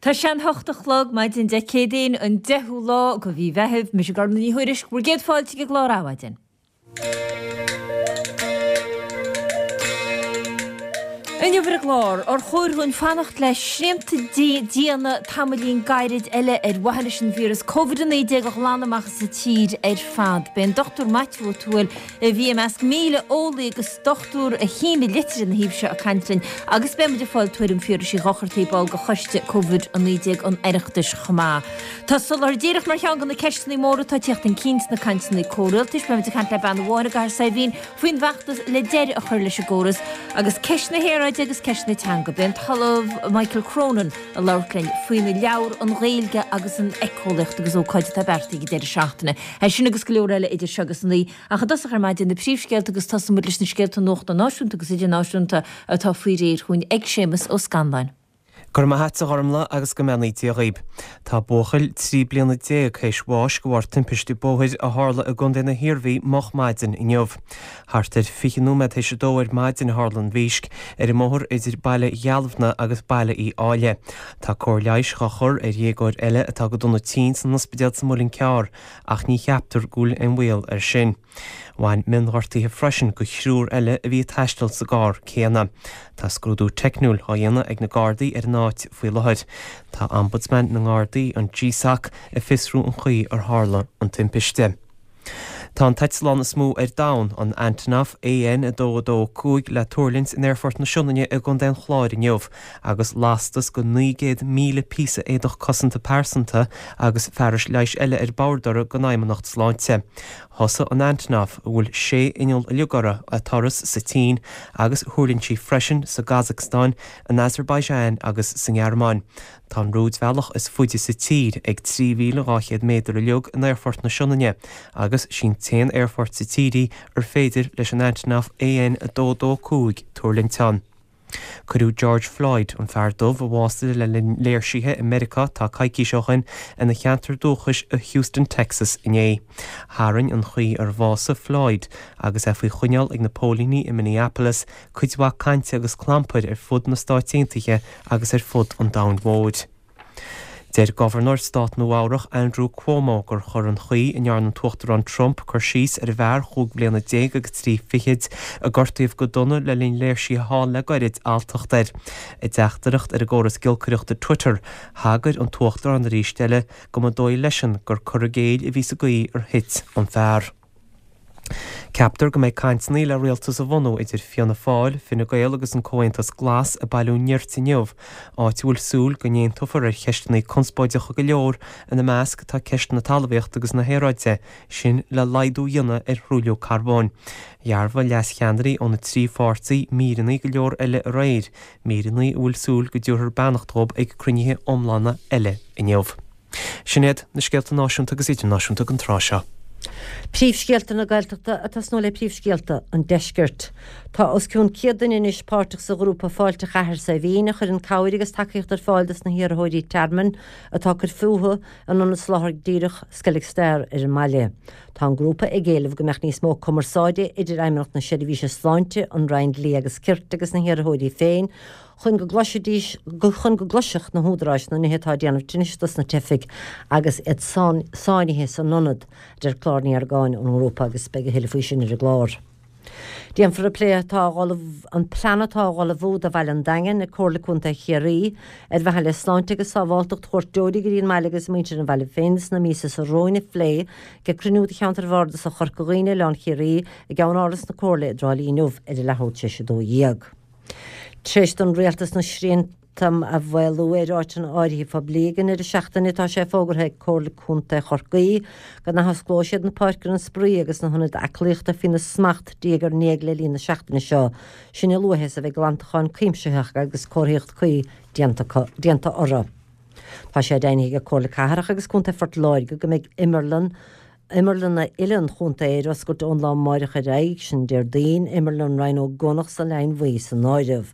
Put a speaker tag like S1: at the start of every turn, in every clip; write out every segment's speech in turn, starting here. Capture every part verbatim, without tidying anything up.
S1: Tá sé an hocht a chlog maidin Dé Céadaoin an deichiú lá de mhí Mheithimh, mise Gormlaith Ní Thuairisg, bhur gcéad fáilte chuig an gclár Adhmhaidin. Inniu ar an gclár, ar chóir dhúinn fanacht le srianta diana tamaillín gairid eile ar mhaithe leis an víreas Covid a naoi déag a ghlanadh amach as an tír ar fad? Beidh an Dochtúir Maitiú Ó Tuathail, a bhí i measc míle eolaí agus dochtúir a shínigh litir ina thaobh seo ag caint linn agus beidh muid ag fáil tuairim Phiarais Uí Dhochartaigh, ball de choiste Covid a naoi déag an Oireachtais chomh maith. Tá soláthar díreach mar cheann de na ceisteanna móra atá ag tíocht chun cinn sna cainteanna comhrialtais. Beidh muid ag caint le bean amháin i gCathair Saidhbhín faoin bhfeachtas le deireadh a chur leis an gcóras agus ceist na haeráide agus ceist na teanga. Beidh an tOllamh Michael Cronin ag labhairt linn faoina leabhar An Ghaeilge agus an Éiceolaíocht agus ócáid atá beartaithe ag an deireadh seachtaine. É sin agus go leor eile idir seo agus a naoi. Ach i dtosach ar maidin na príomhscéalta agus tosóidh muid leis na scéalta nuachta náisiúnta agus idirnáisiúnta atá faoi réir chugainn ag Séamus Ó Scanláin.
S2: Go raibh maith a't a Ghormlaith agus go mbeannaí Dia dhaoib. Tá buachaill trí bliana déag théis bháis de bharr timpiste bóthair a tharla i gContae na hIarmhí moch maidin inniu. Thart ar fiche nóiméad théis a dó ar maidin a tharla an mhísc, ar an mbóthar idir Baile Dhealbhna agus Baile Uí Áille. Tá cóir leighis dhá chur ar dhéagóir eile atá go dona tinn san ospidéal sa Muileann Cearr ach ní cheaptar go bhfuil aon bhaol air sin. Bhain mionghortuithe freisin go thriúr eile a bhí ag taisteal sa gcarr céanna. Tá scrúdú teicniúil á dhéanamh ag na Gardaí ar an áit faoi láthair. Tá Ombudsman na nGardaí, an GSOC, ag fiosrú an chaoi ar tharla an timpiste. Tá an t-eitleán is mó ar domhan, an Antonov A N a dó a dó cúig, le tuirlingt in Aerfort na Sionainne i gContae an Chláir inniu agus lastas go naoi gcéad míle píosa éadach cosanta pearsanta agus fearais leighis eile ar bord orthu don Fheidhmeannacht Sláinte. Thosaigh an Antonov, a bhfuil sé inneall uilig uirthi, a turas sa tSín agus thuirling sí freisin sa gCasacstáin, in Azerbaijan agus sa nGearmáin. Tá an rúidbhealach is faide sa tír ag trí mhíle dhá chéad méadar uilig in Aerfort na Sionainne agus sí'n t-aon aerfort sa tír í ar féidir leis an Antonov A N a dó dó cúig tuirlingt ann. Cuireadh George Floyd, an fear dubh a bhásaigh le linn léirsithe i Meiriceá tá coicís ó shin, ina cheantar dúchais i Houston, Texas inné. Tharraing an chaoi ar bhásaigh Floyd, agus é faoi choinneáil ag na póilíní i Minneapolis, cuid mhaith cainte agus clampair ar fud na Stáit Aontaithe agus ar fud an domhain mhóir. Deir Gobharnóir Stát Nua-Eabhrac Andrew Cuomo gur chuir an chaoi a ndearna an tUachtarán Trump cur síos ar an bhfear chúig bliana déag agus trí fichid a gortaíodh go dona le linn léirsithe thall le goirid alltacht air. I dteachtaireacht ar an gcóras giolcaireachta Twitter, thagair an tUachtarán arís eile go mba dóigh leisean gur cur i gcéill a bhí sa gcaoi ar thit an fear. Ceaptar go mbeidh cainteanna le rialtas a bhunú idir Fianna Fáil, Fine Gael agus an Comhaontas Glas ag bailiú nirt inniu, áit a bhfuil súil go n-aontófar ar cheisteanna conspóideacha go leor, ina measc tá ceist na talmhaíochta agus na haeráide, sin le laghdú a dhéanamh ar thruailliú carbóin. Dhearbhaigh leascheannairí ó na trí pháirtí míreanna go leor eile aréir, míreanna a bhfuil súil go dtabharfar beannacht dhóibh ag cruinnithe iomlána eile inniu. Sin iad na scéalta náisiúnta agus idirnáisiúnta don tráth seo.
S3: Príomhscéalta na Gaeltachta ag tosnú le príomhscéalta an Deiscirt. Tá os cionn céad duine anois páirteach sa ghrúpa Fáilte Chathair Saidhbhín a chuireann cabhair agus tacaíocht ar fáil dos na hiarrthóirí tearmainn atá ag cur fúthu in ionad soláthair díreach Skellig Star ar an mbaile. Tá an grúpa ag éileamh go mbeadh níos mó cumarsáide idir Fheidhmeannacht na Seirbhíse Sláinte, an Roinn Dlí agus Cirt agus na hiarrthóirí féin chun go gcloisfidís, chun go gcloisfeadh na húdaráis na nithe atá ag déanamh tinnis dos na teifigh agus iad sáinnithe san ionad, a deir Clár Ní Argáin ón ngrúpa agus beidh a thuilleadh faoi sin ar an gclár. Déanfar an plé atá á ullmhú, an plean atá á ullmhú do bhaile an Daingin ag Comhairle Contae Chiarraí ar mhaithe le sláinte agus sábháltacht chuairteoirí go dtí an mbaile agus muintir an bhaile féin sna míosa seo romhainn a phlé ag cruinniú de cheantar Bhardasach Chorca Dhuibhne, Oileán Chiarraí i gceann-áras na Comhairle i dTrá Lí inniu ar a leathuair tar éis a dó dhéag. Tar éis don Rialtas na srianta a mhaolú ar áiteanna áirithe poiblí ag an ndeireadh seachtaine, tá sé fógartha ag Comhairle Contae Chorcaí go n-athosclóidh siad na páirceanna spraoi agus na hionaid aclaíochta faoina smacht diaidh ar ndiaidh le linn na seachtaine seo, sin a luaithe is a bheidh glantachán cuimsitheach agus comharthaíocht cuí déanta orthu. Tá sé deimhnithe ag Comhairle Cathrach agus Contae Phort Láirge go mbeidh imearlann Imearlanna uile an chontae ar oscailt ón lá amáireach ar aghaidh, sin Déardaoin, Imearlann Ryan Ó gConnacht sa Leidhinn Bhuí san áireamh.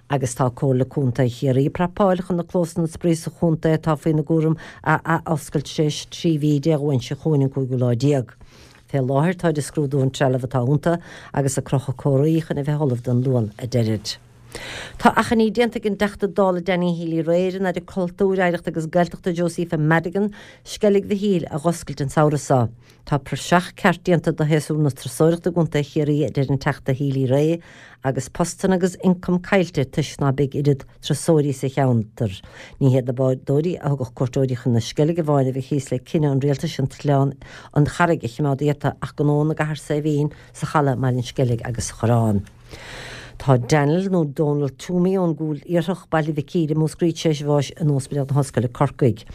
S3: Agus tá Comhairle Contae Chiarraí ag prapáil chun na clósanna spraoi sa chontae atá faoina gcúram a athoscailt tar éis trí mhí Dé Luain seo chugainn an cúigiú lá déag. Fé láthair táid ag scrúdú an trealamh atá iontu agus ag crochadh comharthaí chun a bheith ullamh don Luan, a deirid. Tá achainí déanta ag an dTeachta Dála Danny Healy-Rae ar an Aire Cultúir, Oidhreachta agus Gaeltachta Josepha Madigan Sceilg Mhichíl a dh'oscailt an samhradh seo. Tá praiseach ceart déanta de shéasúr na turasóireachta i gContae Chiarraí, a deir an Teachta Healy-Rae, agus postanna agus ioncam caillte toisc ná beidh oiread turasóirí sa cheantar. Ní hiad na bádóirí a thugadh cuairteoirí chun na Sceilge amháin a bheidh thíos le cinneadh an rialtais an t-oileán an Charraig a choimeád iata ach gnó na gCathair Saidhbhín sa Chaladh, mBaile an Sceilg agus sa Choireán. Tá Daniel nó Donal Toomey ón gCúil Iarthach, Baile Mhic Íre, Múscraí tar éis bháis in Ospidéal na hOllscoile Corcaigh.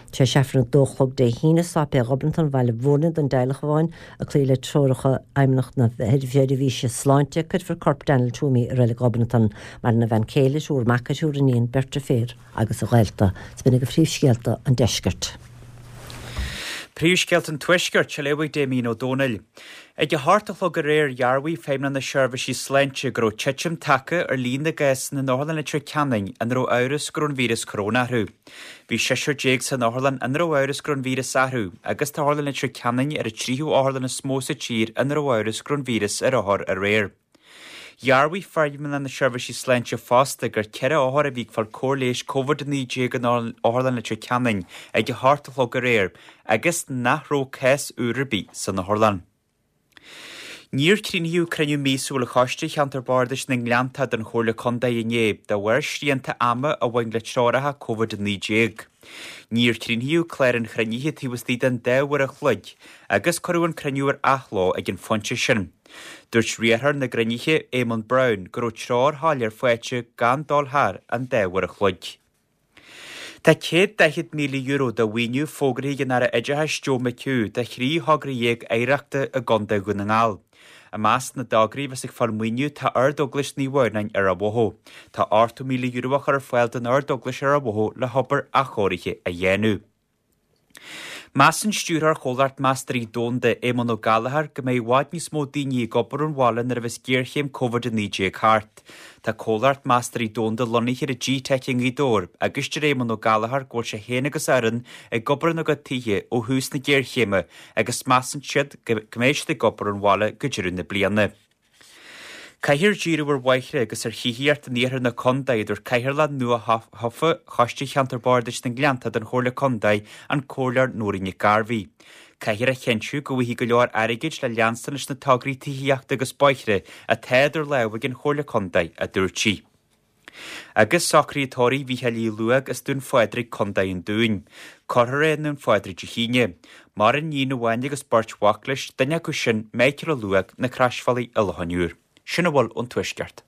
S3: Tar éis Aifreann a dó a chlog Dé hAoine, Sáipéal Ghobnatan, Bhaile Mhúirne don dteaghlach amháin ag cloí le treoracha Fheidhmeannacht na Seirbhíse Sláinte, cuirfear corp Daniel Toomey i Reilig Ghobnatan. Maireann a bhean chéile, triúr mac, triúr iníon, beirt deirféar agus a ghaolta. 'S b'in agaibh phríomhscéalta an deiscirt.
S4: Príomhscéalta an Tuaiscirt, á léamh ag Damien Ó Dónaill. Ag a hocht a chlog aréir dhearbhaigh Feidhmeannacht na Seirbhísí Sláinte go raibh titim tagtha ar líon na gcásanna in Otharlann Leitir Ceanainn ina raibh amhras go raibh an víreas coróna orthu. Bhí seisear déag san otharlann ina raibh amhras go raibh an víreas orthu agus tá Otharlann Leitir Ceanainn ar an tríú otharlann is mó sa tír ina raibh amhras go raibh an víreas ar othar aréir. Dhearbhaigh Feidhmeannacht na Seirbhísí Sláinte fosta gur ceithre othar a bhí ag fáil cóir leighis Covid a naoi déag in Otharlann Leitir Ceanainn ag a hocht a chlog aréir agus nach raibh cás úr ar bith san otharlann. Níor críochnaíodh cruinniú míosúil Choiste Cheantar Bardais na nGleannta den Chomhairle Contae inné de bharr srianta ama a bhain le treoracha Covid a naoi déag. Níor críochnaíodh clár an chruinnithe taobh istigh den dá uair a chloig agus cuireadh an cruinniú ar athló ag an phointe sin. Dúirt riarthóir na gcruinnithe, Éamonn Brown, go raibh treoir shoiléir faighte gan dul thar an dá uair a chloig. Tá céad daichead míle euro de mhaoiniú fógraithe ag an Aire Oideachais Joe McHugh do thrí thogra dhéag oidhreachta i gContae Dhún na nGall. I measc na dtograí a bheas ag fáil maoiniú tá Ard-Eaglais Naomh Adhamhnáin ar Ráth Bhoth. Tá ochtó míle euro á chur ar fáil don Ard-Eaglais ar Ráth Bhoth le hobair athchóirithe a dhéanamh. Measann stiúrthóir Chomhlacht Meastóirí Domhanda, Éamonn Ó Gallchóir, go mbeidh i bhfad níos mó daoine ag obair ón bhaile nuair a bheas géarchéim Covid a naoi déag thart. Tá Comhlacht Meastóirí Domhanda lonnaithe ar an G-Teic i nGaoth Dobhair agus deir Éamonn Ó Gallchóir go bhfuil sé féin agus a fhoireann ag obair ina gcuid tithe ó thús na géarchéime agus measann siad go mbeidh siad ag obair ón bhaile go deireadh na bliana. Caithfear díriú ar bhóithre agus ar thithíocht in iarthar na contae, a dúirt Cathaoirleach nua-thofa Choiste Cheantar Bardais na nGleannta den Chomhairle Contae, an Comhairleoir Nóirín Nic Gairbhí. Caithfear a chinntiú go bhfaighidh go leor airgid le leanstan leis na tograí tithíochta agus bóithre atá idir lámha ag an Chomhairle Contae, a dúirt sí. Agus socruithe tórraimh Mhícheáil Uí Luaig as Dún Phádraig, Contae an Dúin. Cuirfear é i nDún Phádraig Dé hAoine. Maireann iníon amháin agus beirt mhac leis, duine acu sin, Michael Ó Luaig, na Croisbhealaí i Loch an Iúir. Sin a bhfuil ón Tuaisceart.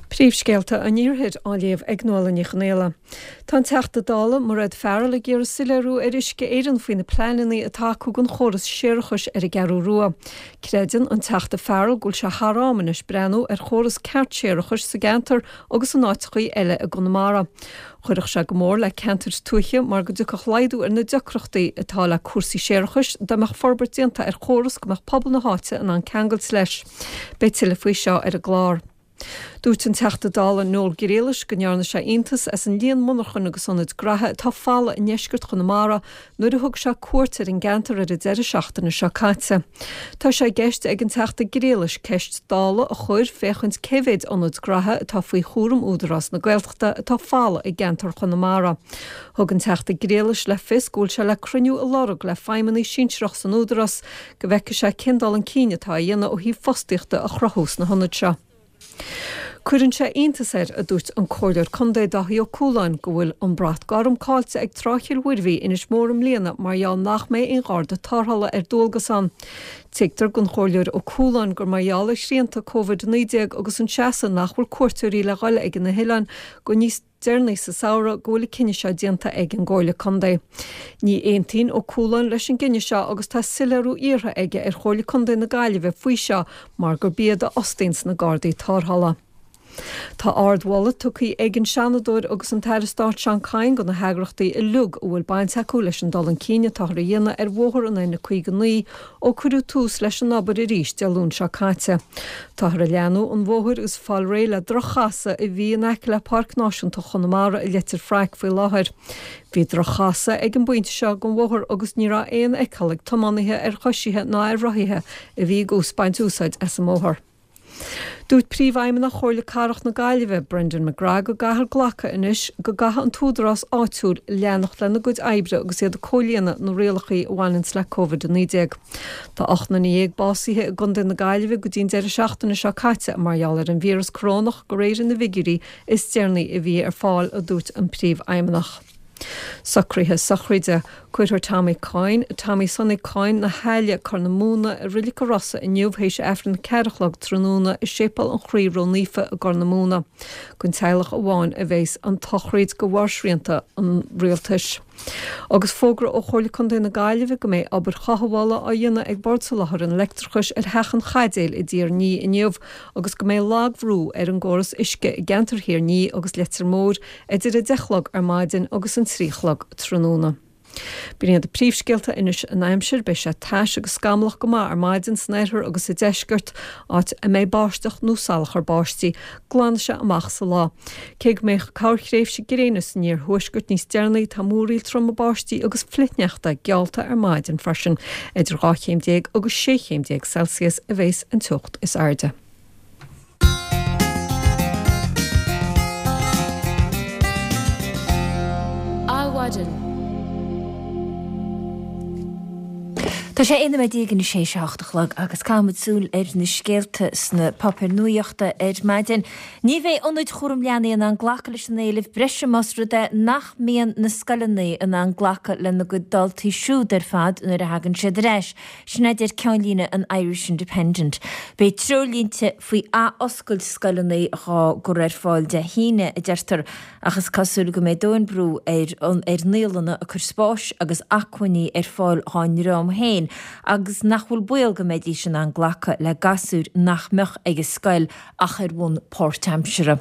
S5: Príomhscéalta an Iarthair á léamh ag Nuala Ní Chonghaile. Tá an Teachta Dála Mairéad Farrell ag iarraidh soiléiriú ar Uisce Éireann faoi na pleananna atá acu don chóras séarachais ar an gCeathrú Rua. Creideann an Teachta Farrell go bhfuil sé thar am anois breathnú ar chóras ceart séarachais sa gceantar agus in áiteachaí eile i gConamara. Chuirfeadh sé go mór le ceantair tuaithe mar go dtiocfadh laghdú ar na deacrachtaí atá le cúrsaí séarachais dá mbeadh forbairt déanta ar chóras go mbeadh pobal na háite in ann ceangailt leis. Beidh tuilleadh faoi seo ar an gclár. Dúirt an Teachta Dála Noel Grealish go ndearna sé iontas as an líon monarchan agus ionaid graithe atá folamh i ndeisceart Chonamara nuair a thug sé cuairt ar an gceantar ar an deireadh seachtaine seo caite. Tá sé i gceist ag an Teachta Grealish ceist Dála a chur féachaint cé mhéid ionad graithe atá faoi chúram Údarás na Gaeltachta atá folamh i gceantar Chonamara. Thug an Teachta Grealish le fios go bhfuil sé le cruinniú a lorg le feidhmeannaigh sinsearach san Údarás go bhfeicfidh sé cén dul chun cinn atá á dhéanamh ó thaobh fostaíochta a chruthú sna hionaid seo. Cuireann sé iontas air, a dúirt an Comhairleoir Contae Dáithí Ó Cualáin, go bhfuil an brat gorm caillte ag Trá Chill Mhuirbhigh, Inis Mór i mbliana mar gheall nach mbeidh aon gharda tarrthála ar dualgas ann. Tuigtear don Chomhairleoir Ó Cualáin gur mar gheall ar shrianta Covid a naoi déag agus an seasamh nach bhfuil cuairteoirí le dhul ag na hoileáin go níos deireanaí sa samhradh go bhfuil an cinneadh seo déanta ag an gComhairle Contae. Ní aontaíonn Ó Cualáin leis an gcinneadh seo agus tá soiléiriú iarrtha aige ar Chomhairle Contae na Gaillimhe faoi seo mar gurb iad a fhostaíonns na Gardaí Tarrthála. Tá ardmholadh tugtha ag an Seanadóir agus an tAire Stáit Seán Kyne do na heagrachtaí uilig a bhfuil baint acu leis an dul chun cinn atáthar a dhéanamh ar bhóthar an N caoga naoi ó cuireadh tús leis an obair arís Dé Luain seo caite. Táthar ag leathnú an bhóthair agus fáil réidh le droch-chasadh a bhí in aice le Páirc Náisiúnta Chonamara i Leitir Fraic faoi láthair. Bhí droch-chasadh ag an bpointe seo den bhóthar agus ní raibh aon fheiceáil ag tiománaithe ar choisithe ná ar rothaithe a bhí ag baint úsáid as an mbóthar. Dúirt Príomhfheidhmeannach Chomhairle Cathrach na Gaillimhe, Brendan McGrath go gcaithfear glacadh anois go gcaithfidh an t-údarás áitiúil leanacht lena gcuid oibre agus iad ag comhlíonadh na rialacha a bhaineanns le Covid a naoi déag. Tá ocht nduine dhéag básaithe i gContae na Gaillimhe go dtí an deireadh seachtaine seo caite mar gheall ar an víreas corónach de réir na bhfigiúirí is deireanaí a bhí ar fáil, a dúirt an Príomhfheidhmeannach. Socruithe sochraide. Cuirfear Tommy Coyne, Tommy Sonny Coyne na hAille, Corr na Móna, i Reilig an Rosa inniu théis Aifreann a ceathair a chlog tráthnóna i Séipéal an Chroí Ró-Naofa i gCorr na Móna. Don teaghlach amháin a bheas an tsochraid de bharr srianta an rialtais. Agus fógra ó Chomhairle Contae na Gaillimhe go mbeidh obair chothabhála á dhéanamh ag Bord Soláthair an Leictreachais ar Theach an Chaidéil i dTír an Fhia inniu agus go mbeidh lagbhrú ar an gcóras uisce i gceantar Thír an Fhia agus Leitir Móir idir a deich a chlog ar maidin agus an trí a chlog tráthnóna. B'in iad na príomhscéalta anois an aimsir, beidh sé tais agus scamallach go maith ar maidin san oirthear agus sa deisceart, áit a mbeidh báisteach nó salachar báistí. Glanfaidh sé amach sa lá. Cé go mbeidh corrthréimhse gréine san iarthuaisceart níos deireanaí, tá múraíl troma báistí agus flichshneachta geallta ar maidin freisin. Idir dhá chéim déag agus sé chéim déag Celsius a bheas an teocht is airde.
S1: Adhmhaidin. Tá sé aon nóiméad déag i ndiaidh a hocht a chlog agus caithfimid súil ar na scéalta sna páipéir nuachta ar maidin. Ní bheidh ionaid chúram leanaí in ann glacadh leis an éileamh breise más rud é nach mbíonn na scoileanna in ann glacadh lena gcuid daltaí siúd ar fad nuair a thagann siad ar ais. Sin a deir ceannlíne an Irish Independent. Beidh treoirlínte faoi ath-oscailt scoileanna dhá gcur ar fáil Dé hAoine, a deirtear, ach is cosúil go mbeidh dóthain brú ar ar naíolanna ag cur spáis agus acmhainní ar fáil dhá ndream féin agus nach bhfuil baol go mbeidís in ann glacadh le gasúir nach mbeadh ag an scoil ach ar bhonn páirtaimseartha.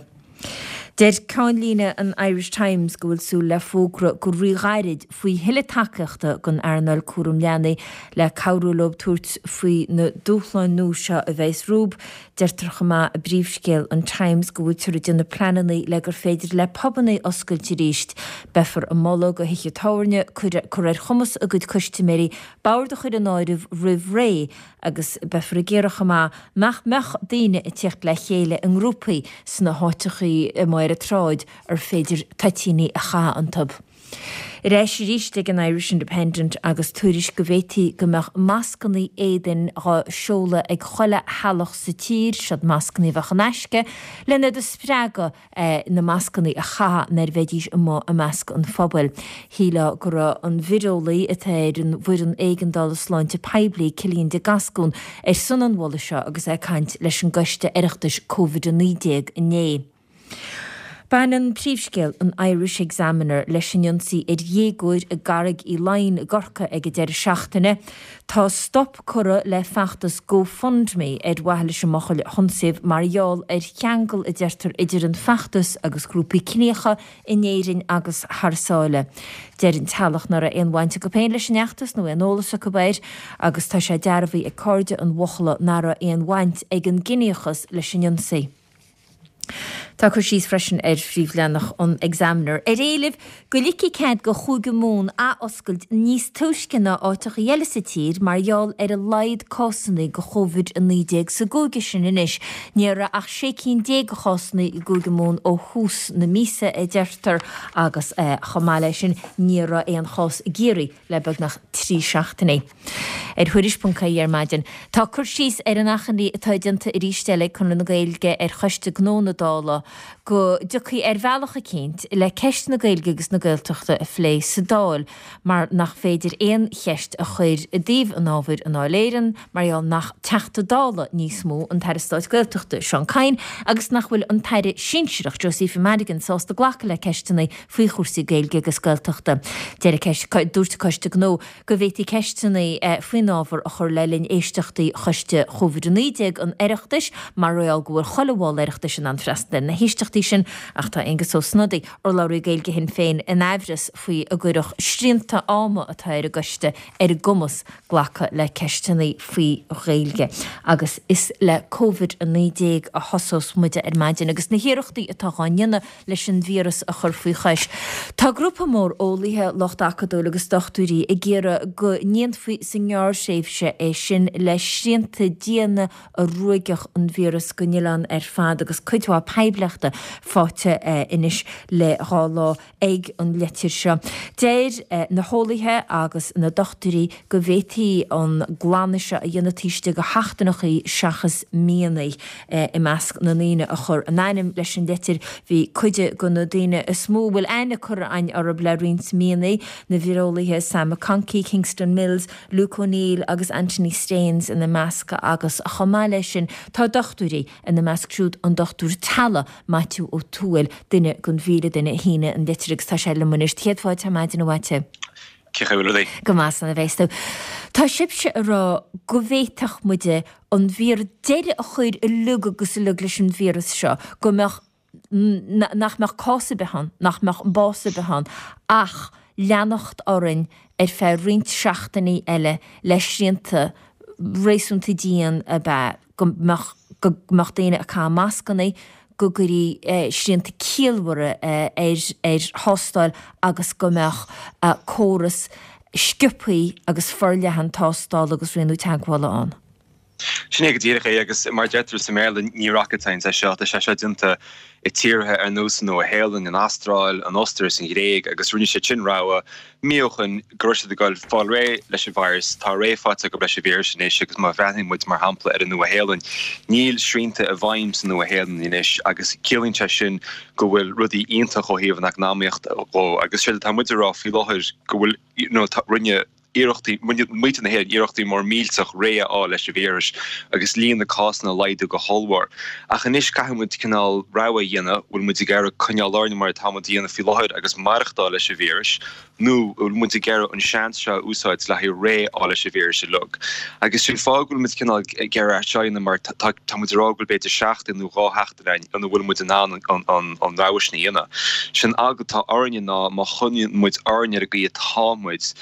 S1: Deir ceannlíne an Irish Times go bhfuil súil le fógra go ríghairid faoi thuilleadh tacaíochta don earnáil cúram leanaí le cabhrú leo tabhairt faoi na dúshláin nua seo a bheas rompu. Deirtear chomh maith i bpríomhscéal an Times go bhfuiltear ag déanamh pleananna le gur féidir le pubanna oscailt arís. Beifear ag moladh do thithe tábhairne cur ar chumas a gcuid custaiméirí bord a chur in áirithe roimh ré agus beifear ag iarraidh chomh maith nach mbeadh daoine ag tíocht le chéile i ngrúpaí sna háiteachaí amuigh ar an tsráid ar féidir toitíní a chaitheamh iontu. Ar ais arís ag an Irish Independent agus tuairisc go bhféadfaí go mbeadh mascannaí éadain dhá seoladh ag chuile theaghlach sa tír, siod mascannaí a bheadh in aisce, len iad a spreagadh na mascannaí a chaitheamh nuair a bheidís amuigh i measc an phobail. Shílfeá go raibh an vireolaí atá ar an bhfoireann éigeandála sláinte poiblí, Cillian de Gascún, ar son an mholadh seo agus é ag caint leis an gcoiste Oireachtais Covid a naoi déag inné. Baineann príomhscéal an Irish Examiner leis an ionsaí ar dhéagóir i gCarraig Uí Leighin i gCorcaigh ag an deireadh seachtaine. Tá stop curtha le feachtas GoFundMe ar mhaithe leis an mbuachaill a hionsaíodh mar gheall ar cheangal a deirtear idir an feachtas agus grúpaí ciníocha in Éirinn agus thar sáile. Deir an teaghlach nach raibh aon bhaint acu féin leis an fheachtas nó aon eolas acu air agus tá sé dearbhaithe ag cairde an bhuachalla nach raibh aon bhaint ag an gciníochas leis an ionsaí. Tá cur síos freisin ar phríomhleathanach an Examiner ar éileamh go ligfí cead do Chúige Mumhan athoscailt níos túisce ná áiteachaí eile sa tír mar gheall ar a laghad cásanna de Chóivid a naoi déag sa gcúige sin anois. Ní raibh ach sé cinn déag de chásanna i gCúige Mumhan ó thús na míosa, a deirtear, agus chomh maith leis sin ní raibh aon chás i gCiarraí le beagnach trí seachtainí. Ar Thuairisc ponc ie ar maidin, tá cur síos ar an achainí atá déanta arís eile ag Conradh na Gaeilge ar Choiste Gnó na Dála go dtiocfaí ar bhealach eicínt le ceist na Gaeilge agus na Gaeltachta a phlé sa Dáil mar nach féidir aon cheist a chur i dtaobh an ábhair i nDáil Éireann mar gheall nach Teachta Dála níos mó an tAire Stáit Gaeltachta Seán Kyne agus nach bhfuil an tAire Sinsearach Josepha Madigan sásta glacadh le ceisteanna faoi chúrsaí Gaeilge agus Gaeltachta. Deir Dúirt Coiste Gnó go bhféadfaí ceisteanna faoin ábhar a chur le linn éisteachtaí Choiste Chóivid a naoi déag an Oireachtais mar gheall go bhfuil chuile bhall Oireachtais in ann freastal ar na héisteachtaí sin ach tá Aengus Ó Snodaigh, urlabhraí Gaeilge Shinn Féin, in aimhreas faoi an gcuirfeadh srianta ama atá ar an gcoiste ar a gcumas glacadh le ceisteanna faoi Ghaeilge. Agus is le Covid a naoi déag a thosós muide ar maidin agus na hiarrachtaí atá á ndéanamh leis an víreas a chur faoi chois. Tá grúpa mór eolaithe, lucht acadúil agus dochtúirí ag iarraidh go ndéanfaí sa ngearrthréimhse é sin le srianta diana a ruaigfeadh an víreas den oileán ar fad agus cuid mhaith poiblíochta faighte anois le dhá lá ag an litir seo. Deir na heolaithe agus na dochtúirí go bhféadfaí an glanadh seo a dhéanamh taobh istigh de sheachtaineachaí seachas míonna. I measc na ndaoine a chuir a n-ainm leis an litir bhí cuid de na daoine is mó a bhfuil aithne curtha againn orthu le roinnt míonna, na víreolaithe Sam McConkey, Kingston Mills, Luke O'Neill agus Anthony Staines ina measc agus chomh maith leis sin tá dochtúirí ina measc siúd an dochtúir teaghlaigh Maitiú Ó Tuathail, duine den mhíle duine a shínigh an litir agus tá sé liom anois. Céad fáilte ar maidin a Mhaitiú.
S6: Cén chaoi a bhfuil rudaí?
S1: Go maith slán a bheas tú. Tá sibhse ag rá go bhféadfadh muide an vír deireadh a chur uilig agus uilig leis an víreas seo, go mbeadh nach mbeadh cás ar bith ann, nach mbeadh bás ar bith ann, ach leanacht orainn ar feadh roinnt seachtainí eile le srianta réasúnta dian ab ea go mbeadh go mbeadh daoine ag caitheamh mascanna, go gcuirfí srianta ciallmhara ar ar thástáil agus go mbeadh córas sciobtha agus forleathan tástála agus rianú teagmhála ann.
S6: Sin é go díreach é agus mar a deirtear sa mBéarla ní rocket science é seo, tá sé seo déanta i tíortha ar nós an Nua-Shéalainn, an Astráil, an Ostair is an Ghréig agus rinne siad sin rogha mí ó shin go raibh siad ag dul fáil réidh leis an virus. Tá réidh faighte acu leis an víreas anois agus má bhreathnaíonn muid mar shampla ar an Nua-Shéalainn, níl srianta i bhfeidhm sa Nua-Shéalainn anois agus ciallaíonn sé sin go bhfuil rudaí iontach ó thaobh an eacnamaíocht dhó agus séard atá muid a rá faoi láthair go bhfuil you know rinne iarrachtaí, muintir na hÉireann iarrachtaí mór millteach réidh a fháil leis an víreas agus líon na cásanna a laghdú go hollmhór. Ach anois caithfidh muid cineál rogha a dhéanamh, bhfuil muid ag iarraidh coinneáil orainn mar atá muid a dhéanamh faoi láthair agus maireachtáil leis an víreas, nó bhfuil muid ag iarraidh an seans seo a úsáid le haghaidh réidh a fháil leis an víreas uilig. Agus sin fáth go bhfuil muid cineál ag iarraidh é seo a dhéanamh mar tá muid ag rá go bhfuil b'fhéidir seachtain nó dhá sheachtain ann ina bhfuil muid in ann an rogha sin a dhéanamh. Sin eagla atá orainne ná má choinníonn muid orainn ar an gcaoi atá muid,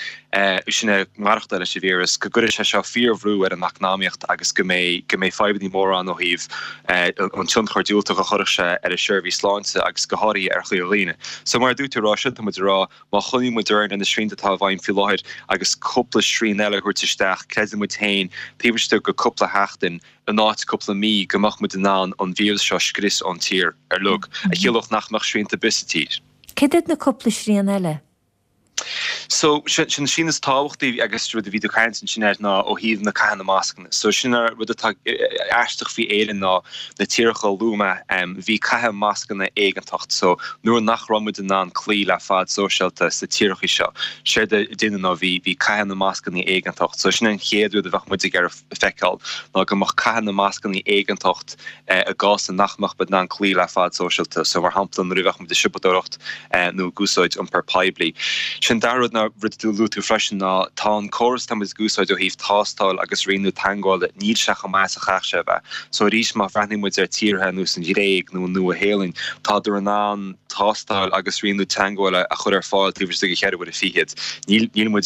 S6: sin é maireachtáil leis an víreas, go gcuirfidh sé seo fíorbhrú ar an eacnamaíocht agus go mbeidh go mbeidh fadhbanna móra ann ó thaobh an tionchar diúltach a chuirfeadh sé ar an seirbhís sláinte agus go háirithe ar shaol dhaoine. So mar a dúirt tú a rá sin, tá muid ag rá má choinníonn muid orainn ar na srianta atá i bhfeidhm faoi láthair agus cúpla srian eile a thabhairt isteach, creideann muid féin, taobh istigh de cúpla sheachtain, in áit cúpla mí, go mbeadh muid in ann an víreas seo a scrios ón tír uilig, a chiallódh nach mbeadh srianta ar bith sa tír.
S1: Céard iad na cúpla srian eile?
S6: So, sin an srian is tábhachtaí agus rud a bhí tú ag caint ansin air ná ó thaobh na caitheamh na mascanna. So, sin an rud atá aisteach faoi Éirinn ná na tíortha a luaigh mé, bhí caitheamh mascanna éigeantach. So, nuair nach raibh muid in ann cloí le fad sóisialta sna tíortha seo, séard a deineadh ná bhí bhí caitheamh na mascanna éigeantach. So, sin an chéad rud a bheadh muid ag iarraidh feiceáil ná go mbeadh caitheamh na mascanna éigeantach i gcás nach mbeadh muid in ann cloí le fad sóisialta. So, mar shampla, nuair a bheadh muid ag siopadóireacht nó ag úsáid iompar poiblí. Sin dara rud ná rud a luaigh tú freisin ná tá an córas atá muid ag úsáid ó thaobh tástáil agus rianú teagmhála, níl sé chomh maith is a chaithfeadh sé a bheith. So arís má bhreathnaíonn muid ar tíortha ar nós an Ghréig nó an Nua-Shéalainn, tádar in ann tástáil agus rianú teagmhála a chur ar fáil taobh istigh de cheithre uaire fichead. Níl níl muid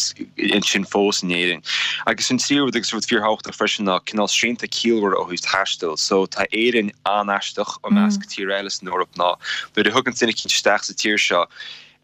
S6: ansin fós in Éirinn. Agus an tríú rud agus rud fíorthábhachtach freisin ná cineál srianta ciallmhara ó thaobh taistil. So tá Éirinn an-aisteach i measc tíortha eile san Eoraip ná nuair a thugann duine eicínt isteach sa tír seo,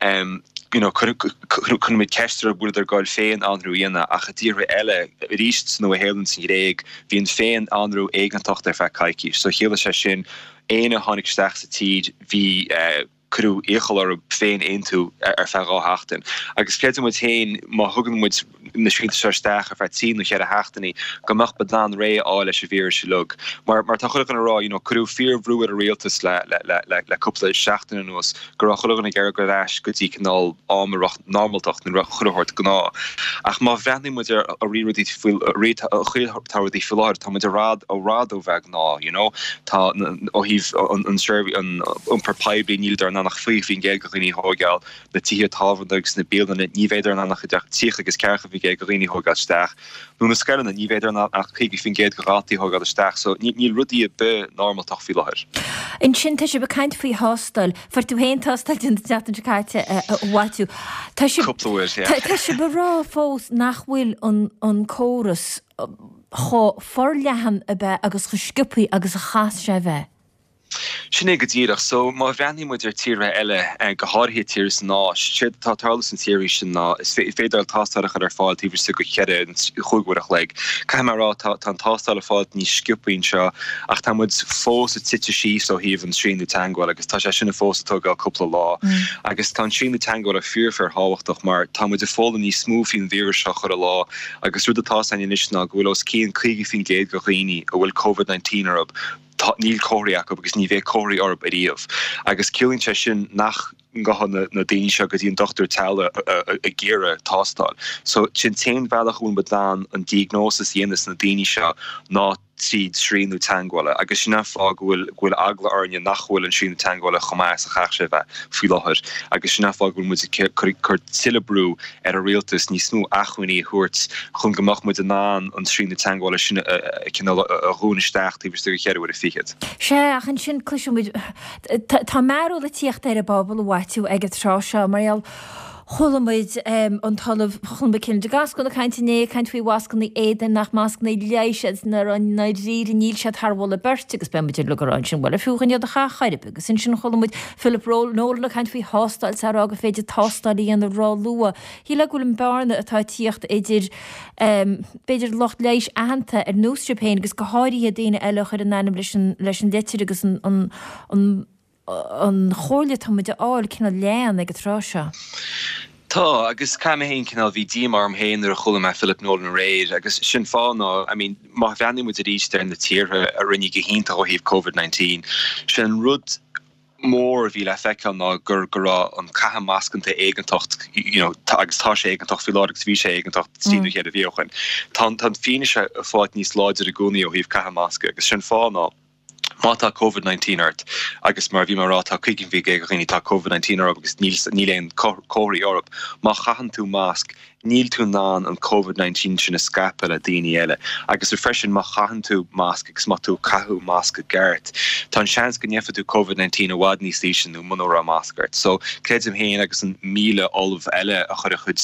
S6: em you know cuireann muid ceist orthu an bhfuileadar ag goil féin-aonrú a dhéanamh ach i dtíortha eile, arís sa Nua-Shéalainn, sa Ghréig, bhí an féin-aonrú éigeantach ar feadh coicís. So chiallaigh sé sin éinne a tháinig isteach sa tír bhí eh cuireadh iachall orthu féin-aontú ar feadh dhá sheachtain. Agus creideann muid féin má thugann muid na srianta seo isteach ar feadh trí nó cheithre sheachtainí go mbeadh muid in ann réidh a fháil leis an víreas uilig. Mar mar tá chuile dhuine ag rá you know cuireadh fíorbhrú ar an rialtas le le le le le cúpla seachtain anuas go raibh chuile dhuine ag iarraidh dul ar ais go dtí cineál am a raibh normaltacht nó chuile shórt gnáth. Ach má bhreathnaíonn muid ar ar rudaí faoi ar chaoi atá rudaí faoi láthair tá muid i bhfad i bhfad ó bheith gnáth you know. Tá ó thaobh an an an iompar poiblí níleadar in ann ann ach fiche faoin gcéad de dhaoine a thógáil, na tithe tábhairne agus na bialanna, ní bheadar in ann ach idir tríocha agus ceathracha faoin gcéad de dhaoine a thógáil isteach, nó na scoileanna, ní bheadar in ann ach caoga faoin gcéad de dhaltaí a thógáil isteach. So níl rudaí ar bith normaltach faoi láthair.
S1: Ansin tá sibh ag caint faoi thástáil. Fuair tú féin tástáil déanta an tseachtain seo caite, a Mhaitiú. Tá sibh
S6: Cúpla uair, yeah.
S1: Tá sibh ag rá fós nach bhfuil an an córas chomh forleathan ab ea agus chomh sciobthaí agus a chas sé a bheith.
S6: Sin é go díreach. So, má bhreathnaíonn muid ar tíortha eile, go háirithe tíortha san Áis, séard atá ag tarlú sna tíortha sin ná is féidir tástáil a chur ar fáil taobh istigh de cheithre nó chúig uair a chloig. Caithfidh mé a rá, tá tá an tástáil ag fáil níos sciobthaí anseo ach tá muid fós ag titim síos ó thaobh an srianadh teagmhála agus tá sé sin fós ag tógáil cúpla lá. Agus tá an srianadh teagmhála fíor fíor thábhachtach mar tá muid ag foghlaim níos mó faoin víreas seo chuile lá agus rud atá againn anois ná go bhfuil os cionn caoga faoin gcéad de dhaoine a bhfuil Covid nineteen orthu Tá, níl comharthaí acu agus ní bheidh comharthaí orthu ariamh. Agus ciallaíonn sé sin nach ngabhann na daoine seo go dtí an dochtúir teaghlaigh ag iarraidh tástáil. So, sin t-aon bhealach a bhfuil muid in ann an diagnósis a dhéanamh sna daoine seo ná tríd srianadh teagmhála. Agus sin an fáth go bhfuil go bhfuil eagla orainne nach bhfuil an srianadh teagmhála chomh maith is a chaithfeadh sé a bheith faoi láthair. Agus sin an fáth go bhfuil muid ag cur cur tuilleadh brú ar an rialtas níos mó acmhainní a thabhairt chun go mbeadh muid in ann an srianadh teagmhála sin a cineál a dhún isteach taobh istigh de cheithre uaire fichead.
S1: Sea, ach ansin cloiseann muid, tá mearbhall ag tíocht ar an bpobal, a Mhaitiú, ag an tráth seo, mar gheall, chuala muid an tOllamh Colmcille de Gascún ag caint inné, ag caint faoi mhascanna éadain, nach mascanna leighis iad, i ndáiríre níl siad thar mholadh beirte agus beidh muid uilig ag rá ansin, bhuel, ar fiú dhúinn iad a chaitheamh chor ar bith, agus ansin chuala muid Philip Nolan ag caint faoi thástáil, is á rá gur féidir tástáil a dhéanamh ró-luath. Shílfeá go bhfuil an bearna atá ag tíocht idir, b'fhéidir, lucht leighis aitheanta ar nós sibh féin agus go háirithe daoine eile a chuir a n-ainm leis an leis an litir agus an an an an chomhairle atá muid a fháil cineál leann ag an tráth seo.
S6: Tá, agus caithfidh mé féin cineál, bhí díomá orm féin nuair a chuala mé Philip Nolan aréir agus sin fáth ná, I mean, má bhreathnaíonn muid arís ar na tíortha a rinne go hiontach ó thaobh Covid nineteen, sin an rud mór a bhí le feiceáil ná gur go raibh an caitheamh mascanna éigeantach you know agus tá sé éigeantach faoi láthair agus bhí sé éigeantach trí nó ceithre mhí ó shin. Tá an tá an fianaise ag fáil níos láidre i gcónaí ó thaobh caitheamh masca agus sin fáth ná má tá Covid nineteen ort agus mar a bhí mé a rá tá caoga faoin gcéad de dhaoine tá Covid nineteen orthu agus níl níl aon comharthaí orthu má chaitheann tú masc níl tú in ann an Covid nineteen sin a scaipeadh le daoine eile. Agus freisin má chaitheann tú masc agus má tá tú ag caitheamh masc i gceart, tá an seans go ngeobhaidh tú Covid nineteen i bhfad níos ísle nó muna raibh masc ort. So, creidim féin agus an míle ollamh eile a chuir a chuid,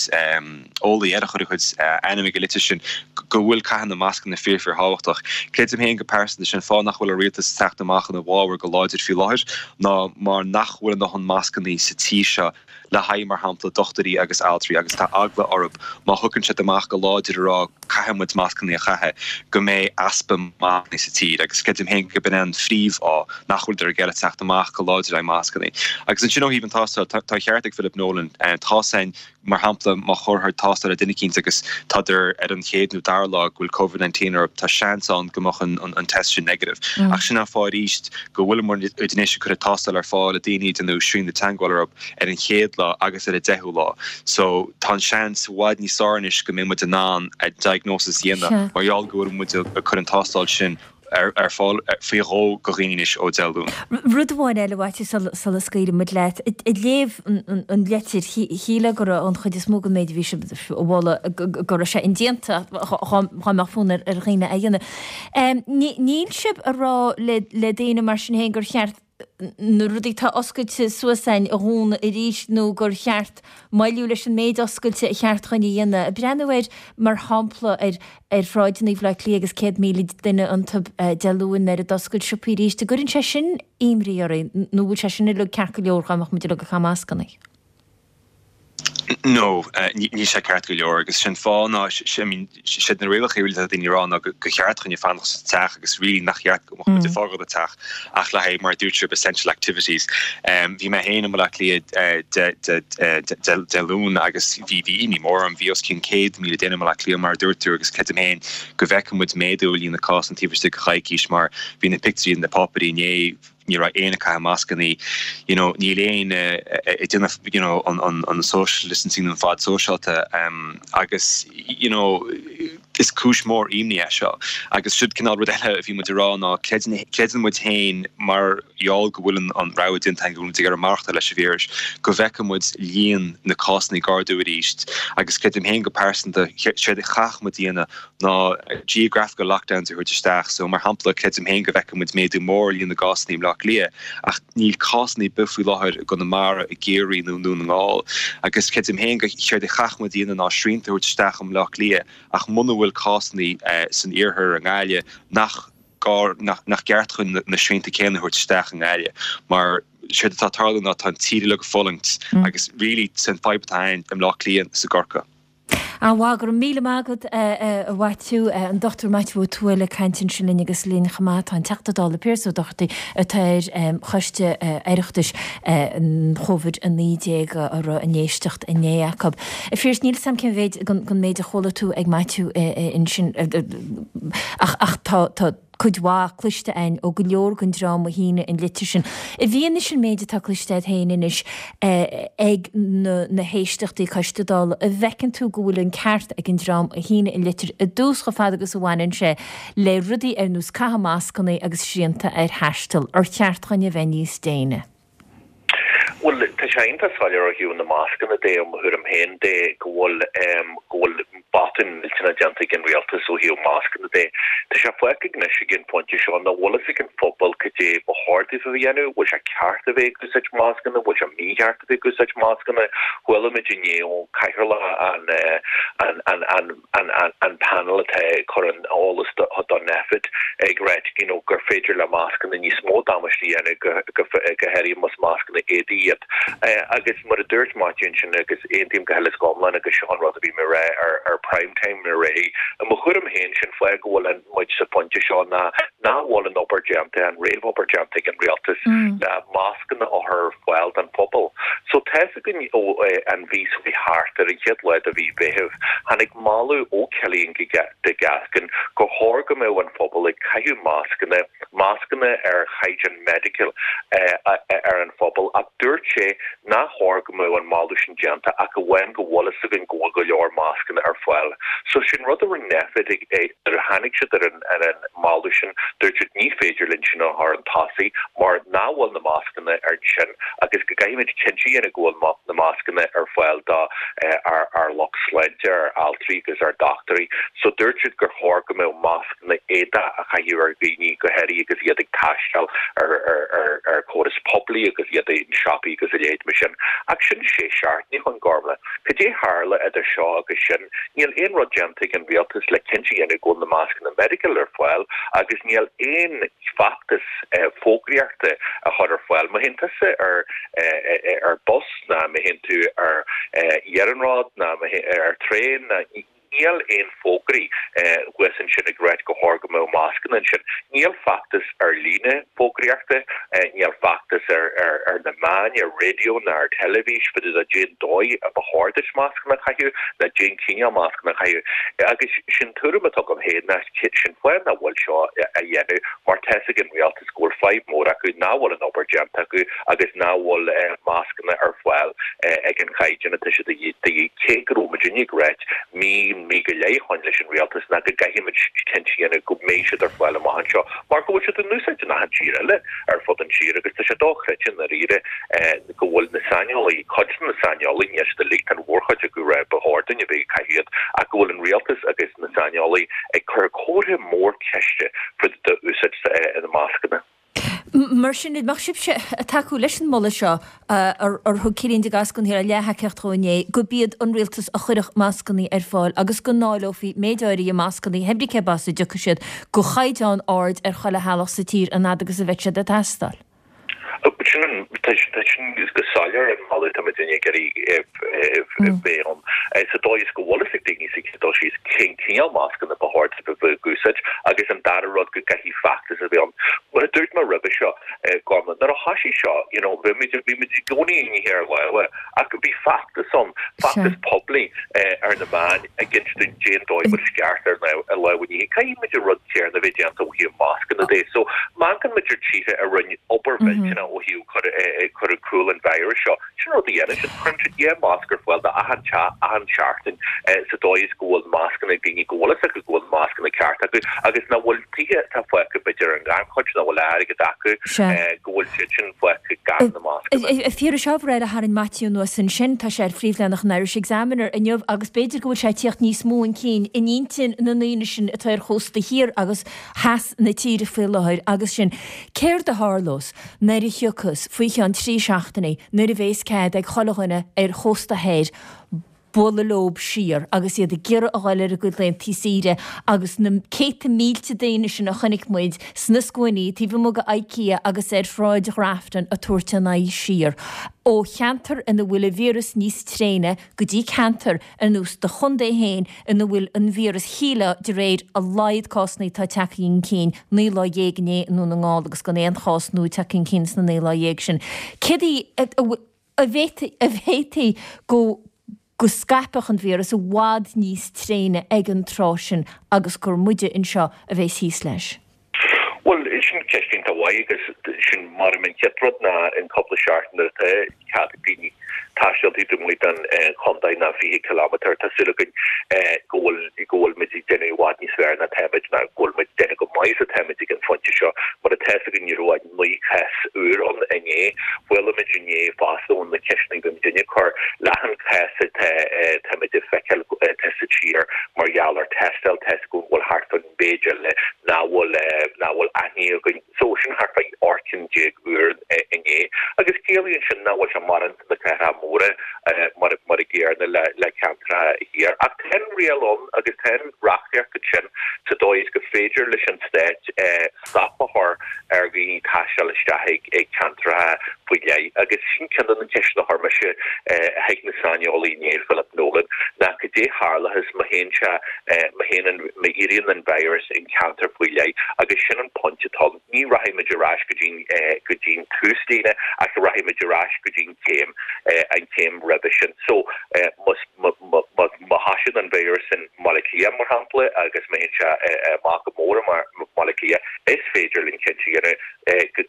S6: eolaí eile a chuir a chuid ainm ag an litir sin, go bhfuil caitheamh na mascanna fíor fíor thábhachtach. Creidim féin go pearsanta, sin fáth nach bhfuil an rialtas ag teacht amach ina bhfabhar go láidir faoi láthair ná mar nach bhfuil a ndóthain mascannaí sa tír seo le haghaidh, mar shampla, dochtúirí agus altraí agus tá eagla orthu má thugann siad amach go láidir a rá caithfidh muid mascannaí a chaitheamh go mbeidh easpa mascannaí sa tír agus creidim féin go b'in é an phríomhfháth nach bhfuileadar ag iarraidh teacht amach go láidir le haghaidh mascannaí. Agus ansin ó thaobh an tástáil, tá an ceart ag Philip Nolan, tá san, mar shampla, má chuirtear tástáil ar duine eicínt agus tádar ar an chéad nó dara lá go bhfuil Covid nineteen orthu, tá seans ann go mbeadh an test sin negative. Ach sin an fáth arís go bhfuil muid anois ag cur an tástáil ar fáil le daoine a déanadh srianadh teagmhála orthu ar an chéad lá agus ar an deichiú lá. So tá an seans i bhfad níos fearr anois go mbeidh muid in ann an diagnosis a dhéanamh mar gheall go bhfuil muid ag cur an tástáil sin ar fáil faoi dhó go dhaoine anois ó Dé Luain.
S1: Rud amháin eile, a Mhaitiú, sula scaoilfidh muid leat. Ag léamh an litir, shílfeá go raibh an chuid is mó den méid a bhí sibh a mholadh, go raibh sé indéanta dá mbeadh fonn ar dhaoine é a dhéanamh. Níl sibh ag rá le daoine mar sin féin gur cheart na rudaí atá oscailte suas againn a dhúnadh arís nó gur cheart moilliú leis an méid oscailte a cheart dhúinn a dhéanamh. Ag breathnú ar, mar shampla, ar ar shráideanna Bhaile Átha Cliath agus céad míle duine iontu Dé Luain nuair a d'oscail siopaí arís, an gcuireann sé sin imní oraibh nó bhfuil sé sin uilig ceart go leor dá mbeadh muid uilig ag caitheamh mascanna?
S6: No, níl sé ceart go leor agus sin fáth ná, I mean, siad na rialacha really atá daoine ag rá ná go cheart dhúinne fanacht sa teach agus really nach cheart go mbeadh muid ag fágáil an teach ach le haghaidh mar a dúirt sibh essential activities. Bhí mé féin i mBaile Átha Cliath Dé Luain agus bhí bhí imní mór orm, bhí os cionn céad míle duine i mBaile Átha Cliath mar a dúirt tú agus creidim féin go bhfeicfidh muid méadú i líon na cásanna taobh istigh de choicís mar bhí na pictiúirí na páipéirí inné, ní raibh éinne ag caitheamh mascanna, you know, níl éinne ag déanamh you know, an, an, an social distancing an fad sóisialta um, agus you know, is cúis mór imní é seo. Agus siod cineál rud eile a bhí muid ag rá ná creideann muid féin mar gheall go bhfuil an rogha déanta go bhfuil muid ag iarraidh maireachtáil leis an víreas, go bhfeicfidh muid líon na cásanna ag ardú arís agus creidim féin go pearsanta séard a chaithfidh muid a dhéanamh ná geographical lockdowns a thabhairt isteach. So mar shampla creidim féin go bhfeicfidh muid méadú mór líon na gcásanna i mBleá Cliath ach níl cásanna ar bith faoi láthair i gConamara, i gCiarraí nó i nDún na nGall. Agus creidim féin go séard a chaithfidh muid a dhéanamh ná srianta a thabhairt isteach i mBleá Cliath ach muna bhfuil cásanna san iarthar i nGaillimh nach gá nach ceart chun na srianta céanna a thabhairt isteach i nGaillimh mar séard atá ag tarlú ná tá an tír uilig ag fulaingt agus really sin fadhb atá ann i mBleá Cliath is i gCorcaigh.
S1: An-mhaith, go raibh míle maith agat a Mhaitiú, an Dochtúir Maitiú Ó Tuathail ag caint ansin linn agus linn chomh maith tá an Teachta Dála Pearse Ó Dochartaigh atá ar Choiste Oireachtais an Chóivid a naoi déag a raibh an éisteacht inné acu. A Phiarais, níl 'fhios a'm cén mhéid den méid a chuala tú ag Maitiú ansin ach ach tá tá cuid mhaith cloiste againn ó go leor den dream a shínigh an litir sin. I bhfianaise an méid atá cloiste agat féin anois ag na héisteachtaí Coiste Dála, an bhfeiceann tú go bhfuil an ceart ag an dream a shínigh an litir i dtús chomh fada agus a bhaineann sé le rudaí ar nós caitheamh mascanna agus srianta ar thaisteal, ar cheart dhúinn a bheith níos déine?
S7: Bhuel, tá sé iontach soiléir ó thaobh na mascanna de, ó mo thuairim féin de, go bhfuil go bhfuil botún millteanach déanta ag an rialtas ó thaobh mascanna de. Tá sé fágtha anois ag an phointe seo nach bhfuil fhios ag an phobal cad é ba chóir daofa a dhéanamh, bhfuil sé ceart a bheith ag úsáid mascanna, bhfuil sé mícheart a bheith ag úsáid mascanna. Chuala muid inné ó chathaoirleach an an an an an an panel atá ag cur an eolas do Nphet ag ráit you know gur féidir le mascanna níos mó damáiste a dhéanamh go go go háirithe más mascanna éadaí iad. Agus mar a dúirt Maitiú ansin agus aontaím go huile is go hiomlán agus seo an rud a bhí mé a rá ar ar Prime Time aréir, i mo thuairim féin sin fáth go bhfuil muid sa phointe seo ná nach bhfuil an obair déanta, an réamhobair déanta ag an rialtas le mascanna a chur ar fáil don phobal. So tá's againn ó an mhí seo thart ar an chéad lá de mhí Mheithimh, tháinig moladh ó Cillian de Gascun gur chóir go mbeadh an phobal ag caitheamh mascanna, mascanna ar chaighdeán medical ar an phobal ach dúirt sé nach chóir go mbeadh an moladh sin déanta ach amháin go bhfuil fhios againn go bhfuil go leor mascanna ar fáil. So sin rud a rinne Nphet nuair a tháinig siad ar an ar an moladh sin, dúirt siad ní féidir linn sin a chur chun tosaigh mar nach bhfuil na mascanna ar ansin agus go gcaithfimid cinnte a dhéanamh go bhfuil na mascanna ar fáil do ár ár lucht sláinte, ár altraí agus ár dochtúirí. So dúirt siad gur chóir go mbeadh mascanna éadach á chaitheamh ar dhaoine go háirithe agus iad ag taisteal ar ar ar ar córas poiblí agus iad i siopaí agus a leithéid mar sin. Ach sin sé seachtaine ó shin, Gormlaith. Cad é tharla idir seo agus sin? Níl aon rud déanta ag an rialtas le cinnte a dhéanamh go bhfuil na mascanna medical ar fáil agus níl aon feachtas fógraíochta a chur ar fáil. Má théann tusa ar ar bus ná má théann tú ar iarnród ná ar traein ná níl aon fógraí thuas ansin ag ráit go chóir go mbeadh mascanna ansin. Níl feachtas ar líne fógraíochta, níl feachtas ar ar na meáin, ar raidió ná ar teilifís fá dtaobh de cén dóigh a ba chóir duit mascanna a chaitheamh ná cén cineál mascanna a chaitheamh. Agus sin tuairim atá agam féin ná sin fáth nach bhfuil seo á dhéanamh mar tá's ag an rialtas go bhfuil fadhb mór acu nach bhfuil an obair déanta acu agus nach bhfuil mascanna ar fáil ag an chaighdeán atá siad de dhíth, cé go raibh muidinne ag ráit mí, mí go leith ó shin leis an rialtas ná go gcaithfimid cinnte a dhéanamh go mbeidh siad ar fáil amach anseo mar go bhfuil siad in úsáid in achan tír eile ar fud an tír agus tá sé dochreidte i ndáiríre go bhfuil na saineolaí, cuid de na saineolaí, níl siad uilig, tá an mhórchuid acu ag rá ba chóir dúinn a bheith ag caitheamh iad ach go bhfuil an rialtas agus na saineolaí ag cur comhartha mór ceiste fá dtaobh d'úsáid na mascanna.
S1: Mar sin, an mbeadh sibhse ag tacú leis an moladh seo ar thug Cillian de Gascun thiar a leath-thacaíocht dhó inné, gurb iad an rialtas a chuirfeadh mascanna ar fáil agus go ndáileofaí méid áirithe mascanna, pé brí cé as a dtiocfaidh siad, de chaighdeán ard ar chuile theaghlach sa tír an fhad agus a bheidh siad ag teastáil?
S7: Sin an, tá sin go soiléir an moladh atá muidinne ag iarraidh bheith ann. Sa dóigh is go bhfuil fhios ag daoine sa chéad dul síos cén cineál mascanna ba chóir dóibh a bheith ag úsáid agus an dara rud go gcaithfidh feachtas a bheith ann. Mar a dúirt mé roimhe seo, Gormlaith, nuair a thoisigh seo, you know, bhí muid, bhí muid i gcónaí ag ithe ar lámha, ach bhí feachtas ann, feachtas poiblí ar na meáin ag insint dúinn cén dóigh a bhfuil sé ceart ár lámha a ní. Caithfidh muid an rud céanna a bheith déanta ó thaobh mascanna de. So, má amharcann muid ar tíortha a rinne obair mhillteanach ó thaobh cur, cur i gcúl an virus seo, sin an rud a dhéanann siad, cuireann siad dhá masc ar fáil d'achan teach, achan seachtain sa dóigh is go bhfuil mascanna ag daoine, go bhfuil fhios acu go bhfuil mascanna ceart acu agus nach bhfuil tithe atá fágtha b'fhéidir ar an ngannchuid, nach bhfuil airgead acu, go bhfuil siad sin fágtha gan na mascanna.
S1: A Phiarais, ábhar eile a tharraing Maitiú anuas ansin, tá sé ar phríomhleathanach an Irish Examiner inniu agus b'fhéidir go bhfuil sé ag tíocht níos mó chun cinn in intinn na ndaoine sin atá ar chósta thiar agus theas na tíre faoi láthair agus sin céard a tharlós nuair a thiocfas faoi cheann trí seachtainí nuair a bhéas cead ag chuile dhuine ar chósta thoir bualadh leob siar agus iad ag iarraidh a dhul ar a gcuid laethanta saoire agus na céadta mílte daoine sin a chonaic muid sna scuainí taobh amuigh de IKEA agus ar Shráid Ghrafton ag tabhairt a n-aghaidh siar ó cheantar ina bhfuil an víreas níos tréine go dtí ceantar ar nós do chontae féin ina bhfuil an víreas, shílfeá de réir a laghad cásanna atá tagtha chun cinn naoi lá dhéag inné i nDún na nGall agus gan aon chás nua tagtha chun cinn sna naoi lá dhéag sin. Céard a bhféadfaí go go scaipfeadh an víreas i bhfad níos tréine ag an tráth sin agus gur muide anseo a bheas thíos leis?
S7: Bhuel, sin ceist iontach mhaith agus sin mar an chéad rud ná an cúpla seachtain nuair atá cead ag daoine taisteal taobh amuigh den chontae ná fiche ciliméadar, tá súil againn go bhfuil go bhfuil muid ag déanamh i bhfad níos fearr ná táimid ná go bhfuil muid ag déanamh go maith is atáimid ag an phointe seo. Mar atá fhios againn ní raibh ach naoi chás úr ann inné. Chuala muid inné fosta ó na ceisteanna a bhí muidinne ag cur, leath an chás atá táimid ag feiceáil atá sa tír mar gheall ar tástáil, tá fhios go bhfuil thart fán mhéid eile nach bhfuil nach bhfuil aithne againn. So sin thart fá ocht gcinn déag úr inné. Agus ciallaíonn sin nach bhfuil sé mórán sna cathracha móra mar mar a gcéanna le le ceantracha thiar. Ach tá an riail ann agus tá an reachtaíocht ansin sa dóigh is go féidir leis an stát stop a chur ar dhaoine taisteal isteach ag ag ceantracha faoi leith. Agus sin ceann de na ceisteanna a chuir mise chuig na saineolaí inné, Philip Nolan, ná cad é tharlóchas má théann sé, má théann an, má éiríonn an virus in ceantar faoi leith agus sin an pointe atá ann. Ní rachaidh muid ar ais go dtí go dtí an túslíne ach rachaidh muid ar ais go dtí an chéim, an chéim roimhe sin. So, má, má, má, má thosaíonn an víreas in mBaile Átha Cliath, mar shampla, agus má théann sé amach go mór i mBaile Átha Cliath, is féidir linn cinnte a dhéanamh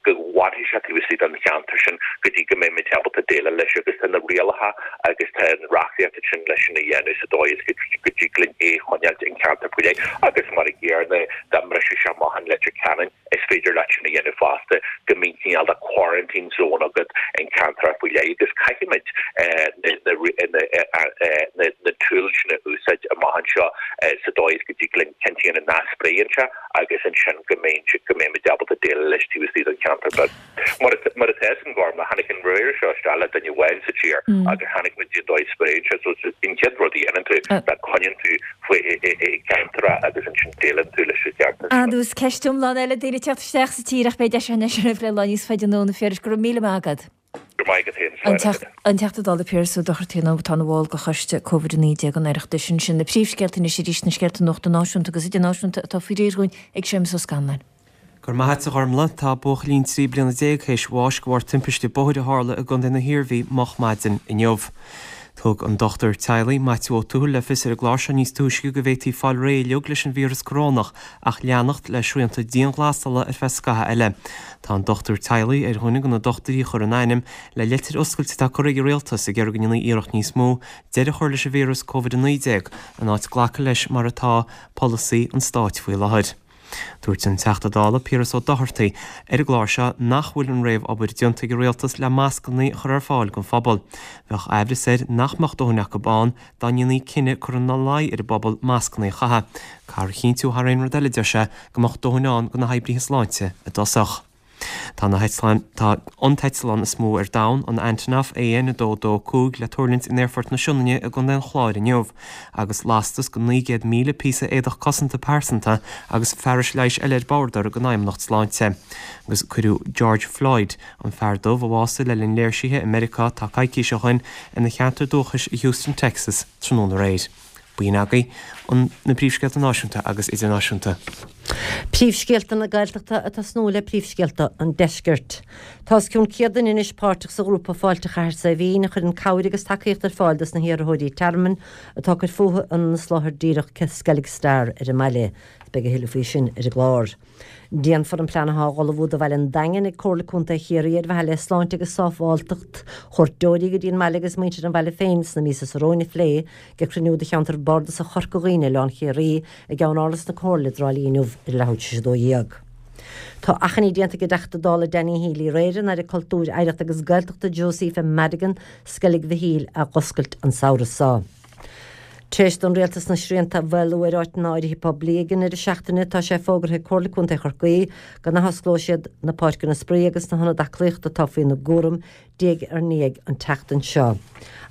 S7: go bhfanfaidh sé taobh istigh den cheantar sin go dtí go mbeidh muid ábalta déileáil leis agus tá na rialacha agus tá an reachtaíocht ansin leis sin a dhéanamh sa dóigh is go dtig linn é a choinneáilt in ceantar faoi leith agus mar a gcéanna dá mbrisfeadh sé amach in Leitir Ceanainn. Is féidir leat sin a dhéanamh fosta, go mbíonn cineál de quarantine zone agat in ceantar faoi leith agus caithfimid na tools sin a úsáid amach anseo sa dóigh is go dtig linn cinnte a dhéanamh nach spréann sé agus ansin go mbeimid ábalta déileáil leis taobh istigh den cheantar beag. Mar atá fhios a'm Gormlaith, tháinig an víreas seo isteach le duine amháin sa tír agus chonaic muid an dóigh a spréann sé so an chéad rud a dhéanann tú ná coinníonn tú faoi i gceantar agus ansin déileann tú leis an gceantar sin.
S1: Agus ceist iomlán eile, daoine ag teacht isteach sa tír ach beidh deis againn é sin a phlé lá níos faide anonn, a Phiarais, go raibh míle maith agat.
S7: Go raibh maith agat féin, slán agat.
S1: An Teachta Dála Piaras Ó Dochartaigh atá ina bhall de Choiste Covid a naoi déag an Oireachtais. Ansin na príomhscéalta anois arís, na scéalta nuachta náisiúnta agus idirnáisiúnta atá faoi réir dhúinn ag Séamus Ó Scanláin.
S2: Go raibh maith a't, a Ghormlaith. Tá buachaillín trí bliana déag théis bháis de bharr timpiste bóthair a tharla i gContae na hIarmhí moch maidin inniu. Thug an dochtúir teaghlaigh, Maitiú Ó Tuathail le fios ar an gclár seo níos túisce go bhféadfaí fáil réidh uilig leis an víreas corónach ach leanacht le srianta dianghlasála ar feadh scaitheamh eile. Tá an dochtúir teaghlaigh ar dhuine de na dochtúirí a chuir a n-ainm le leitir oscailte atá curtha ag an rialtas ag iarraidh go ndéanfaí iarracht níos mó deireadh a chur leis an víreas Covid a naoi déag in áit glacadh leis mar atá polasaí an stáit faoi láthair. Dúirt an Teachta Dála Piaras Ó Dochartaigh ar an gclár seo nach bhfuil an réamh-obair déanta ag an rialtas le mascanna a chur ar fáil don phobal. Bheadh aimhreas air nach mbeadh dóthain acu ann dá ndéanfaí cinneadh cur ina luí ar an bpobal mascanna a chaitheamh. Caithfear a chinntiú thar aon rud eile, deir sé, go mbeadh dóthain ann do na hoibrithe sláinte i dtosach. Tá na heitleáin, tá an t-eitleán is mó ar domhan, an Antonov A N a dó dó cúig, le tuirlingt in Aerfort na Sionainne i gContae an Chláir inniu, agus lastas de naoi gcéad míle píosa éadach cosanta pearsanta agus fearais leighis eile ar bord don Fheidhmeannacht Sláinte. Agus cuireadh George Floyd, an fear dubh a bhásaigh le linn léirsithe i Meiriceá tá coicís ó shin, ina cheantar dúchais i Houston, Texas, tráthnóna aréir. B'in agaibh na príomhscéalta náisiúnta agus idirnáisiúnta.
S3: Príomhscéalta na Gaeltachta ag tosnú le príomhscéalta an Deiscirt. Tá os cionn céad duine anois páirteach sa ghrúpa Fáilte Chathair Saidhbhín a chuireann cabhair agus tacaíocht ar fáil dos na hiarrthóirí tearmainn atá ag cur fúthu in Inis Láthair díreach Skellig Star ar an mbaile. Beidh a thuilleadh faoi sin ar an gclár. Déanfar an plean atá á ullmhú do bhaile an Daingin ag Comhairle Contae Chiarraí ar mhaithe le sláinte agus sábháilteacht chuairteoirí go dtí an mbaile agus muintir an bhaile féin sna míosa seo romhainn a phlé ag cruinniú de Cheantar Bardasach Chorca Dhuibhne Oileán Chiarraí i gCeannáras na Comhairle i dTrá Lí inniu ar leathuair tar éis a dó dhéag. Tá achainí déanta ag an dTeachta Dála Danny Healy Rae ar an Aire Cultúir, Oidhreachta agus Gaeltachta Josepha Madigan Sceilg Mhichíl a dh'oscailt an samhradh seo. Tar éis don Rialtas na srianta a mhaolú ar áiteanna áirithe poiblí ag an ndeireadh seachtaine, tá sé fógartha ag Comhairle Contae Chorcaí go n-athosclóidh siad na páirceanna spraoi agus na hionaid aclaíochta atá faoina gcúram diaidh ar ndiaidh an tseachtain seo.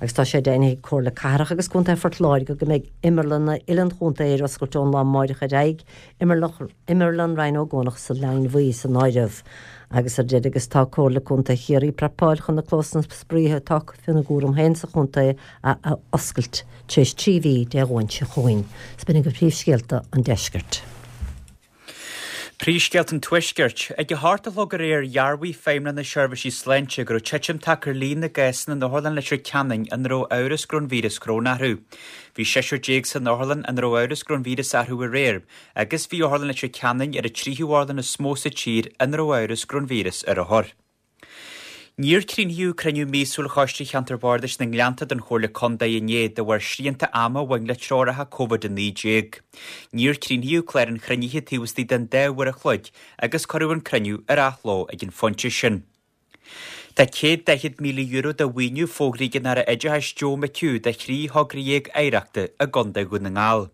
S3: Agus tá sé deimhnithe ag Comhairle Cathrach agus Contae Phort Láirge go mbeidh imearlanna uile an chontae ar oscailt ón lá amáireach ar aghaidh, Imearlann Ryan Ó gCuanach sa Line Bhuí san áireamh. Agus ar deireadh agus tá Comhairle Contae Chiarraí ag prapáil chun na clósanna spraoi atá acu faoina gcúram féin sa chontae a oscailt tar éis trí mhí Dé Luain seo chugainn. Is b'in agaibh príomhscéalta an deiscirt.
S4: Príomhscéalta an Tuaiscirt. Ag a hocht a chlog aréir dhearbhaigh Feidhmeannacht na Seirbhísí Sláinte go raibh titim tagtha ar líon na gcásanna in Otharlann Leitir Ceanainn ina raibh amhras go raibh an víreas coróna orthu. Bhí seisear déag san otharlann ina raibh amhras go raibh an víreas orthu aréir, agus bhí Otharlann Leitir Ceanainn ar an tríú otharlann is mó sa tír ina raibh amhras go raibh an víreas ar othair. Níor críochnaíodh cruinniú míosúil Choiste Cheantar Bardais na nGleannta den Chomhairle Contae inné de bharr srianta ama a bhain le treoracha Covid a naoi déag. Níor críochnaíodh clár an chruinnithe taobh istigh den dá uair a chloig agus cuireadh an cruinniú ar athló ag an phointe sin. Tá céad daichead míle euro de mhaoiniú fógraithe ag an Aire Oideachais Joe McHugh do thrí thogra dhéag oidhreachta i gContae Dhún na nGall.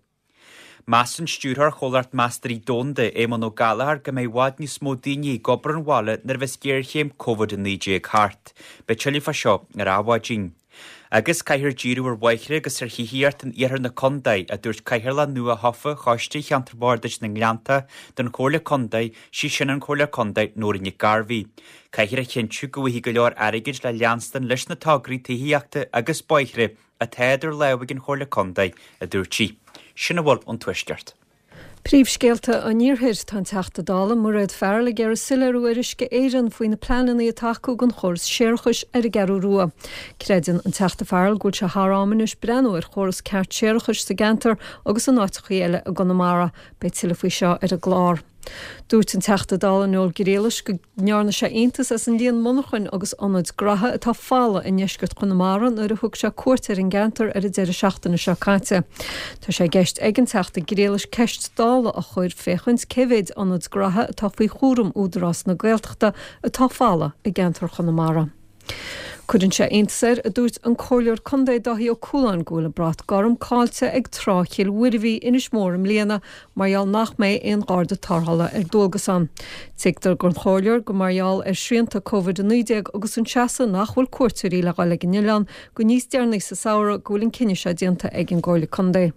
S4: Measann Stiúrthóir Chomhlacht Meastóirí Domhanda, Éamonn Ó Gallchóir, go mbeidh i bhfad níos mó daoine ag obair ón bhaile nuair a bheas géarchéim Covid a naoi déag thart. Beidh tuilleadh fá seo ar Adhmhaidin. Agus caithfear díriú ar bhóithre agus ar thithíocht in iarthar na contae, a dúirt Cathaoirleach nua-thofa Choiste Cheantar Bardais na nGleannta den Chomhairle Contae, sí sin an Comhairleoir Contae Nóirín Nic Gairbhí. Caithfear a chinntiú go bhfaighidh go leor airgid le leanstan leis na tograí tithíochta agus bóithre atá idir lámha ag an Chomhairle Contae, a dúirt sí. Sin a bhfuil ón Tuaisceart.
S5: Príomhscéalta an Iarthair, Tá an Teachta Dála Mairéad Farrell ag iarraidh soiléiriú ar Uisce Éireann faoi na pleananna atá acu don chóras séarachais ar an gCeathrú Rua. Creideann an Teachta Farrell go bhfuil sé thar am anois breathnú ar chóras ceart séarachais sa gceantar agus in áiteachaí eile i gConamara. Beidh tuilleadh faoi seo ar an gclár. Dúirt an Teachta Dála Noel Grealish go ndearna sé iontas as an líon monarchan agus ionaid graithe atá folamh i ndeisceart Chonamara nuair a thug sé cuairt ar an gceantar ar an deireadh seachtaine seo caite. Tá sé i gceist ag an Teachta Grealish ceist Dála a chur féachaint cé mhéid ionad graithe atá faoi chúram Údarás na Gaeltachta atá folamh i gceantar Chonamara. Cuireann sé iontas air, a dúirt an Comhairleoir Contae Dáithí Ó Cualáin, go bhfuil an brat gorm caillte ag Trá Chill Mhuirbhigh, Inis Mór i mbliana mar gheall nach mbeidh aon gharda tarrthála ar dualgas ann. Tuigtear don Chomhairleoir gur mar gheall ar shrianta Covid a naoi déag agus an seasamh nach bhfuil cuairteoirí le dhul ag an oileán go níos deireanaí sa samhradh go bhfuil an cinneadh seo déanta ag an gComhairle Contae.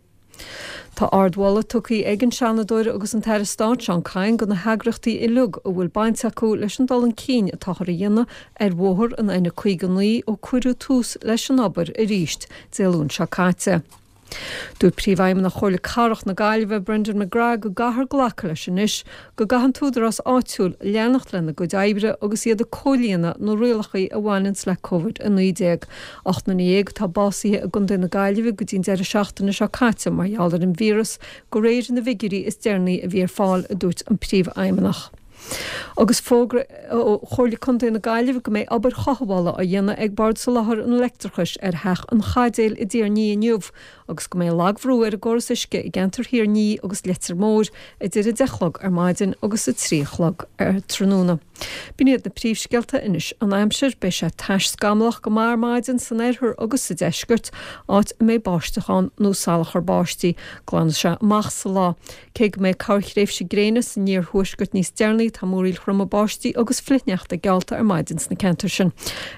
S5: Tá ardmholadh tugtha ag an Seanadóir agus an tAire Stáit Seán Kyne do na heagraíochtaí uilig a bhfuil baint acu leis an dul chun cinn atáthar a dhéanamh ar bhóthar an N caoga naoi ó cuireadh tús leis an obair arís Dé Luain seo caite. Dúirt Príomhfheidhmeannach Chomhairle Cathrach na Gaillimhe, Brendan McGrath go gcaithfear glacadh leis anois go gcaithfidh an t-údarás áitiúil leanacht lena gcuid oibre agus iad ag comhlíonadh na rialacha a bhaineanns le Covid a naoi déag. Ocht nduine dhéag atá básaithe i gContae na Gaillimhe go dtí an deireadh seachtaine seo caite mar gheall ar an víreas, de réir na bhfigiúirí is deireanaí a bhí ar fáil, a dúirt an Príomhfheidhmeannach. Agus fógra ó Chomhairle Contae na Gaillimhe go mbeidh obair chothabhála á dhéanamh ag Bord Soláthair an Leictreachais ar Theach an Chaidéil i dTír an Fhia inniu agus go mbeidh lagbhrú ar an gcóras uisce i gceantar Thír an Fhia agus Leitir Móir idir a deich a chlog ar maidin agus a trí a chlog ar tráthnóna. B'in iad na príomhscéalta anois an aimsir. Beidh sé tais scamallach go maith ar maidin san oirthear agus sa deisceart, áit a mbeidh báisteach ann nó salachar báistí. Glanfaidh sé amach sa lá. Cé go mbeidh corrthréimhse gréine san iarthuaisceart níos deireanaí, tá múraíl throma báistí agus flichshneachta geallta ar maidin sna ceantair sin.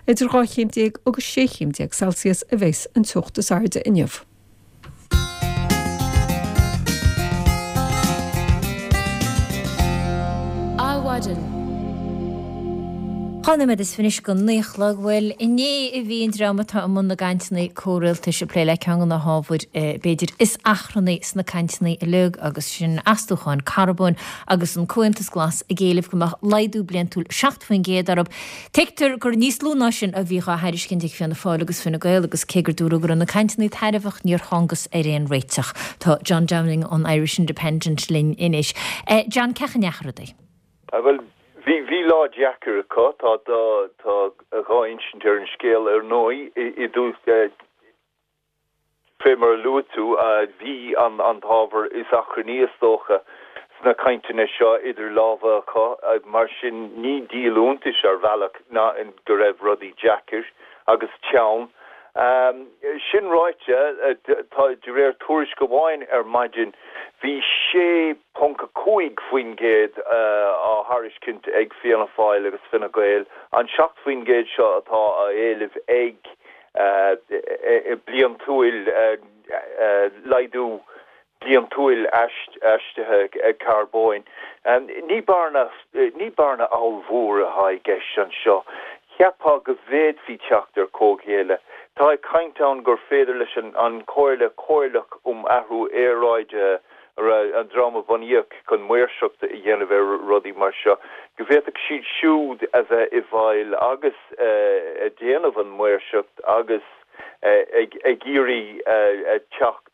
S5: Idir dhá chéim déag agus sé chéim déag Celsius a bheas an teocht is airde inniu.
S8: Adhmhaidin.
S1: Dhá nóiméad is fiche anois go naoi a chlog. Bhuel, inné a bhí an dream atá i mbun na gcainteanna comhrialtais ag plé le ceann de na hábhair b'fhéidir is achrannaí sna cainteanna uilig agus sin astúcháin carbóin agus an Comhaontas Glas ag éileamh go mbeadh laghdú bliantúil seacht faoin gcéad orthu. Tuigtear gur níos lú ná sin a bhí á thairiscint ag Fianna Fáil agus Fine Gael agus cé gur dúradh go raibh na cainteanna tairbheach níor thángthas ar aon réiteach. Tá John Downing ón Irish Independent linn anois. John, cén chaoi a ndeachaigh rudaí?
S8: Bhuel, bhí bhí lá deacair acu, tá tá tá dhá insint ar an scéal ar ndóigh i dtús fé mar a luaigh tú bhí an an t-ábhar is achrannaí is dócha sna cainteanna seo idir lámha acu mar sin ní díol iontais ar bhealach ná go raibh rudaí deacair agus teann. Sin ráite, tá de réir tuairisc amháin ar maidin, bhí sé ponc a cúig faoin gcéad á thairiscint ag Fianna Fáil agus Fine Gael, an seacht faoin gcéad seo atá á éileamh ag bliantúil laghdú bliantúil aistrithe carbóin. Ní bearna ní bearna ollmhór atá i gceist anseo. Cheapfá go bhféadfaí teacht ar comhghéilleadh. Tá caint ann gur féidir leis an an Chomhairle Chomhairleach um Athrú Aeráide, an dream a bunaíodh chun maoirseacht a dhéanamh ar rudaí mar seo, go bhféadfadh siad siúd a bheith i bhfeighil agus ag déanamh an mhaoirseacht agus ag ag iarraidh teacht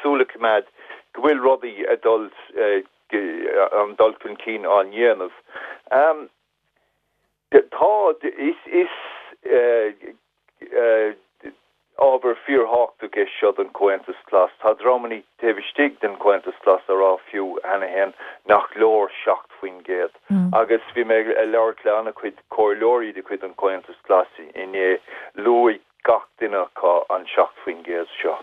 S8: súil a choimeád go bhfuil rudaí ag dul an dul chun cinn á ndéanamh. Tá is is ábhar fíorthábhachtach é seo don Chomhaontas Glas. Tá dreamanna taobh istigh den Chomhaontas Glas á rá fiú cheana féin nach leor seacht faoin gcéad. Agus bhí mé ag labhairt le an-chuid comhairleoirí de chuid an Chomhaontais Ghlais inné, luaigh gach duine acu an seacht faoin gcéad seo.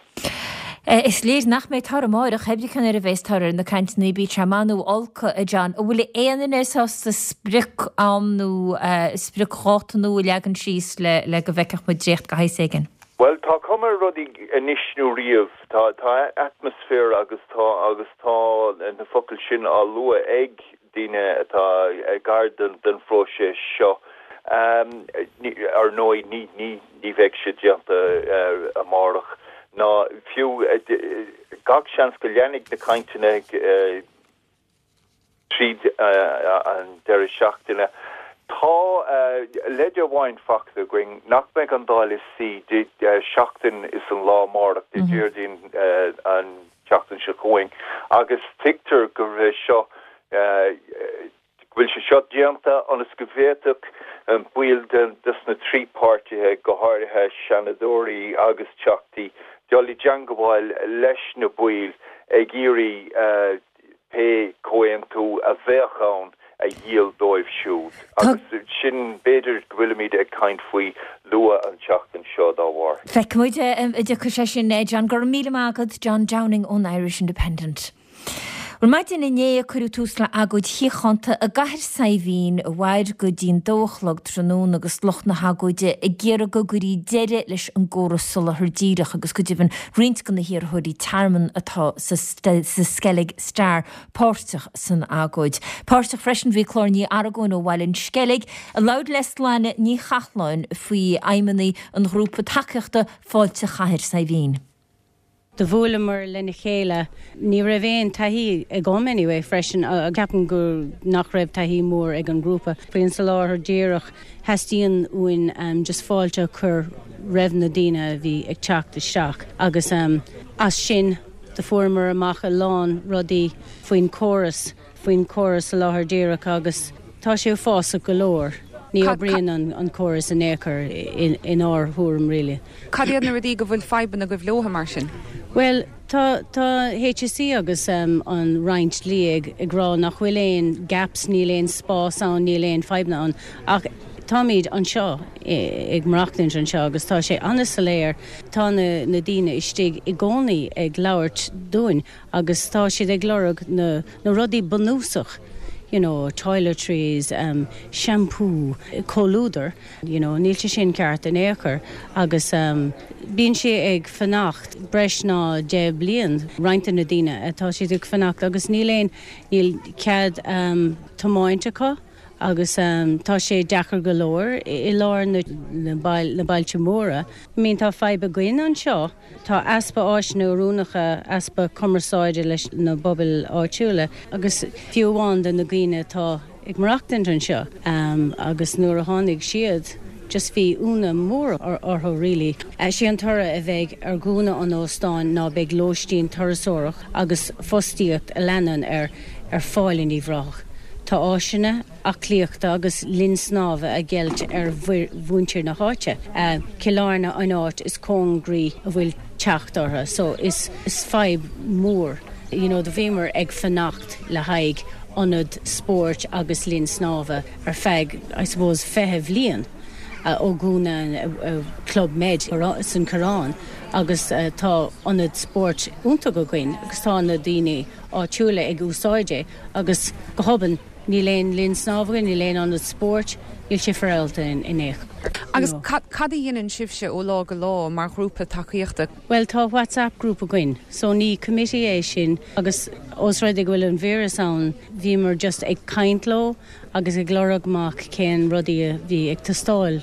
S1: Is léir nach mbeidh toradh amárach, pé brí nuair a bheas toradh ar na cainteanna, bíodh sé maith nó olc, a John. An bhfuil aon duine sásta sprioc-am nó spriocdháta nua a leagan síos le le go bhfeicfeadh muid dréacht de shaghas éigin?
S8: Bhuel, tá cuma ar rudaí anois nó riamh. Tá tá atmaisféar agus tá agus tá na focail sin á lua ag daoine atá gar den den phróiseas seo. Ar ndóigh ní ní ní bheidh sé déanta amárach ná fiú gach seans go leanfaidh na cainteanna tríd an deireadh seachtaine. Tá leid amháin faighte againn nach mbeidh an Dáil ina suí seachtain is an lá amárach, Dé Déardaoin an tseachtain seo chugainn, agus tuigtear go raibh seo go bhfuil sé seo déanta ionas go bhféadfadh baill de na trí páirtithe, go háirithe seanadóirí agus teachtaí, dul i dteangmháil leis na baill ag iarraidh pé comhaontú a bheadh ann a dhíol dóibh siúd. Agus sin b'fhéidir go bhfuilimid ag caint faoi luath an tseachtain seo dá bharr.
S1: Feicfimid an dtiocfaidh sé sin, John. Go raibh míle maith agat, John Downing ón Irish Independent. Bhuel, maidin inné a cuireadh tús le agóid shíochánta i gCathair Saidhbhín a mhair go dtí'n dó a chlog tráthnóna agus lucht na hagóide ag iarraidh go gcuirí deireadh leis an gcóras soláthair díreach agus go deimhin roinnt de na hiarrthóirí tearmainn atá sa Skellig Star páirteach san agóid. Páirteach freisin bhí Clár Ní Argóin ó Bhaile an Sceilg a labhair le Sláine Ní Chathláin faoi fheidhmeannaigh an ghrúpa tacaíochta Fáilte Chathair Saidhbhín.
S9: Do bhuaileamar lena chéile. Ní raibh aon taithí agam anyway freisin, ceapaim go nach raibh taithí mór ag an ngrúpa. Faoin soláthar díreach, theastaíonn uainn just fáilte a chur roimh na daoine a bhí ag teacht isteach agus as sin do fuaireamar amach a lán rudaí faoin córas, faoin córas soláthair díreach agus tá sé uafásach go leor. Ní oibríonn an córas in aon chor inár thuairim really.
S10: Cad iad na rudaí go bhfuil fadhbanna agaibh leo mar sin?
S9: Bhuel, tá tá H S E agus um, an Roinn Dlí ag ag rá nach bhfuil aon gaps, níl aon spás ann, níl aon fadhbanna ann. Ach táimid anseo ag maireachtaint anseo agus tá sé an-soiléir, tá na, na daoine istigh i gcónaí ag labhairt dúinn agus tá siad ag lorg na, na rudaí bunúsach. you know, toiletries, um, shampoo, comhluadar, you know, níl sé sin ceart in aon chor agus um, bíonn sé ag fanacht breis ná deich bliain roinnt na daoine atá siad ag fanacht agus níl aon níl cead um, tiomáint acu agus um, tá sé deacair go leor i lár na, na, bail, na bailte móra. I mean tá fadhb againn anseo, tá easpa áiseanna oiriúnacha easpa cumarsáide leis na pobail áitiúla agus fiú amháin de na daoine atá ag maireachtaint anseo um, agus nuair a tháinig siad just bhí ionadh mór orthu really. Sé an toradh a bheidh ar dhúnadh an óstáin ná beidh lóistín turasóireacht agus fostaíocht a leanann ar ar fáil in Uíbh Ráthach. Tá áiseanna aclaíochta agus linn snámha á gceilt ar mhuintir na háite. Cill Airne an áit is cóngaraí a bhfuil teacht orthu, so is is fadhb mór. You know, do bhíomar ag fanacht le haghaidh ionad spóirt agus linn snámha ar feadh I suppose fiche bliain. Uh, ó dúnadh uh, Club Med san Coireán agus uh, tá ionad spóirt iontach againn agus tá na daoine áitiúla ag úsáid é agus go hobann níl aon linn snámha níl aon ionad spóirt níl sé féaráilte in in éich.
S10: Agus cad a dhéanann sibhse ó lá go lá mar ghrúpa tacaíochta?
S9: Well tá WhatsApp grúpa againn, so ní committee é sin agus os rud é go bhfuil an víreas ann bhíomar just ag caint leo agus ag lorg amach cén rudaí a bhí ag teastáil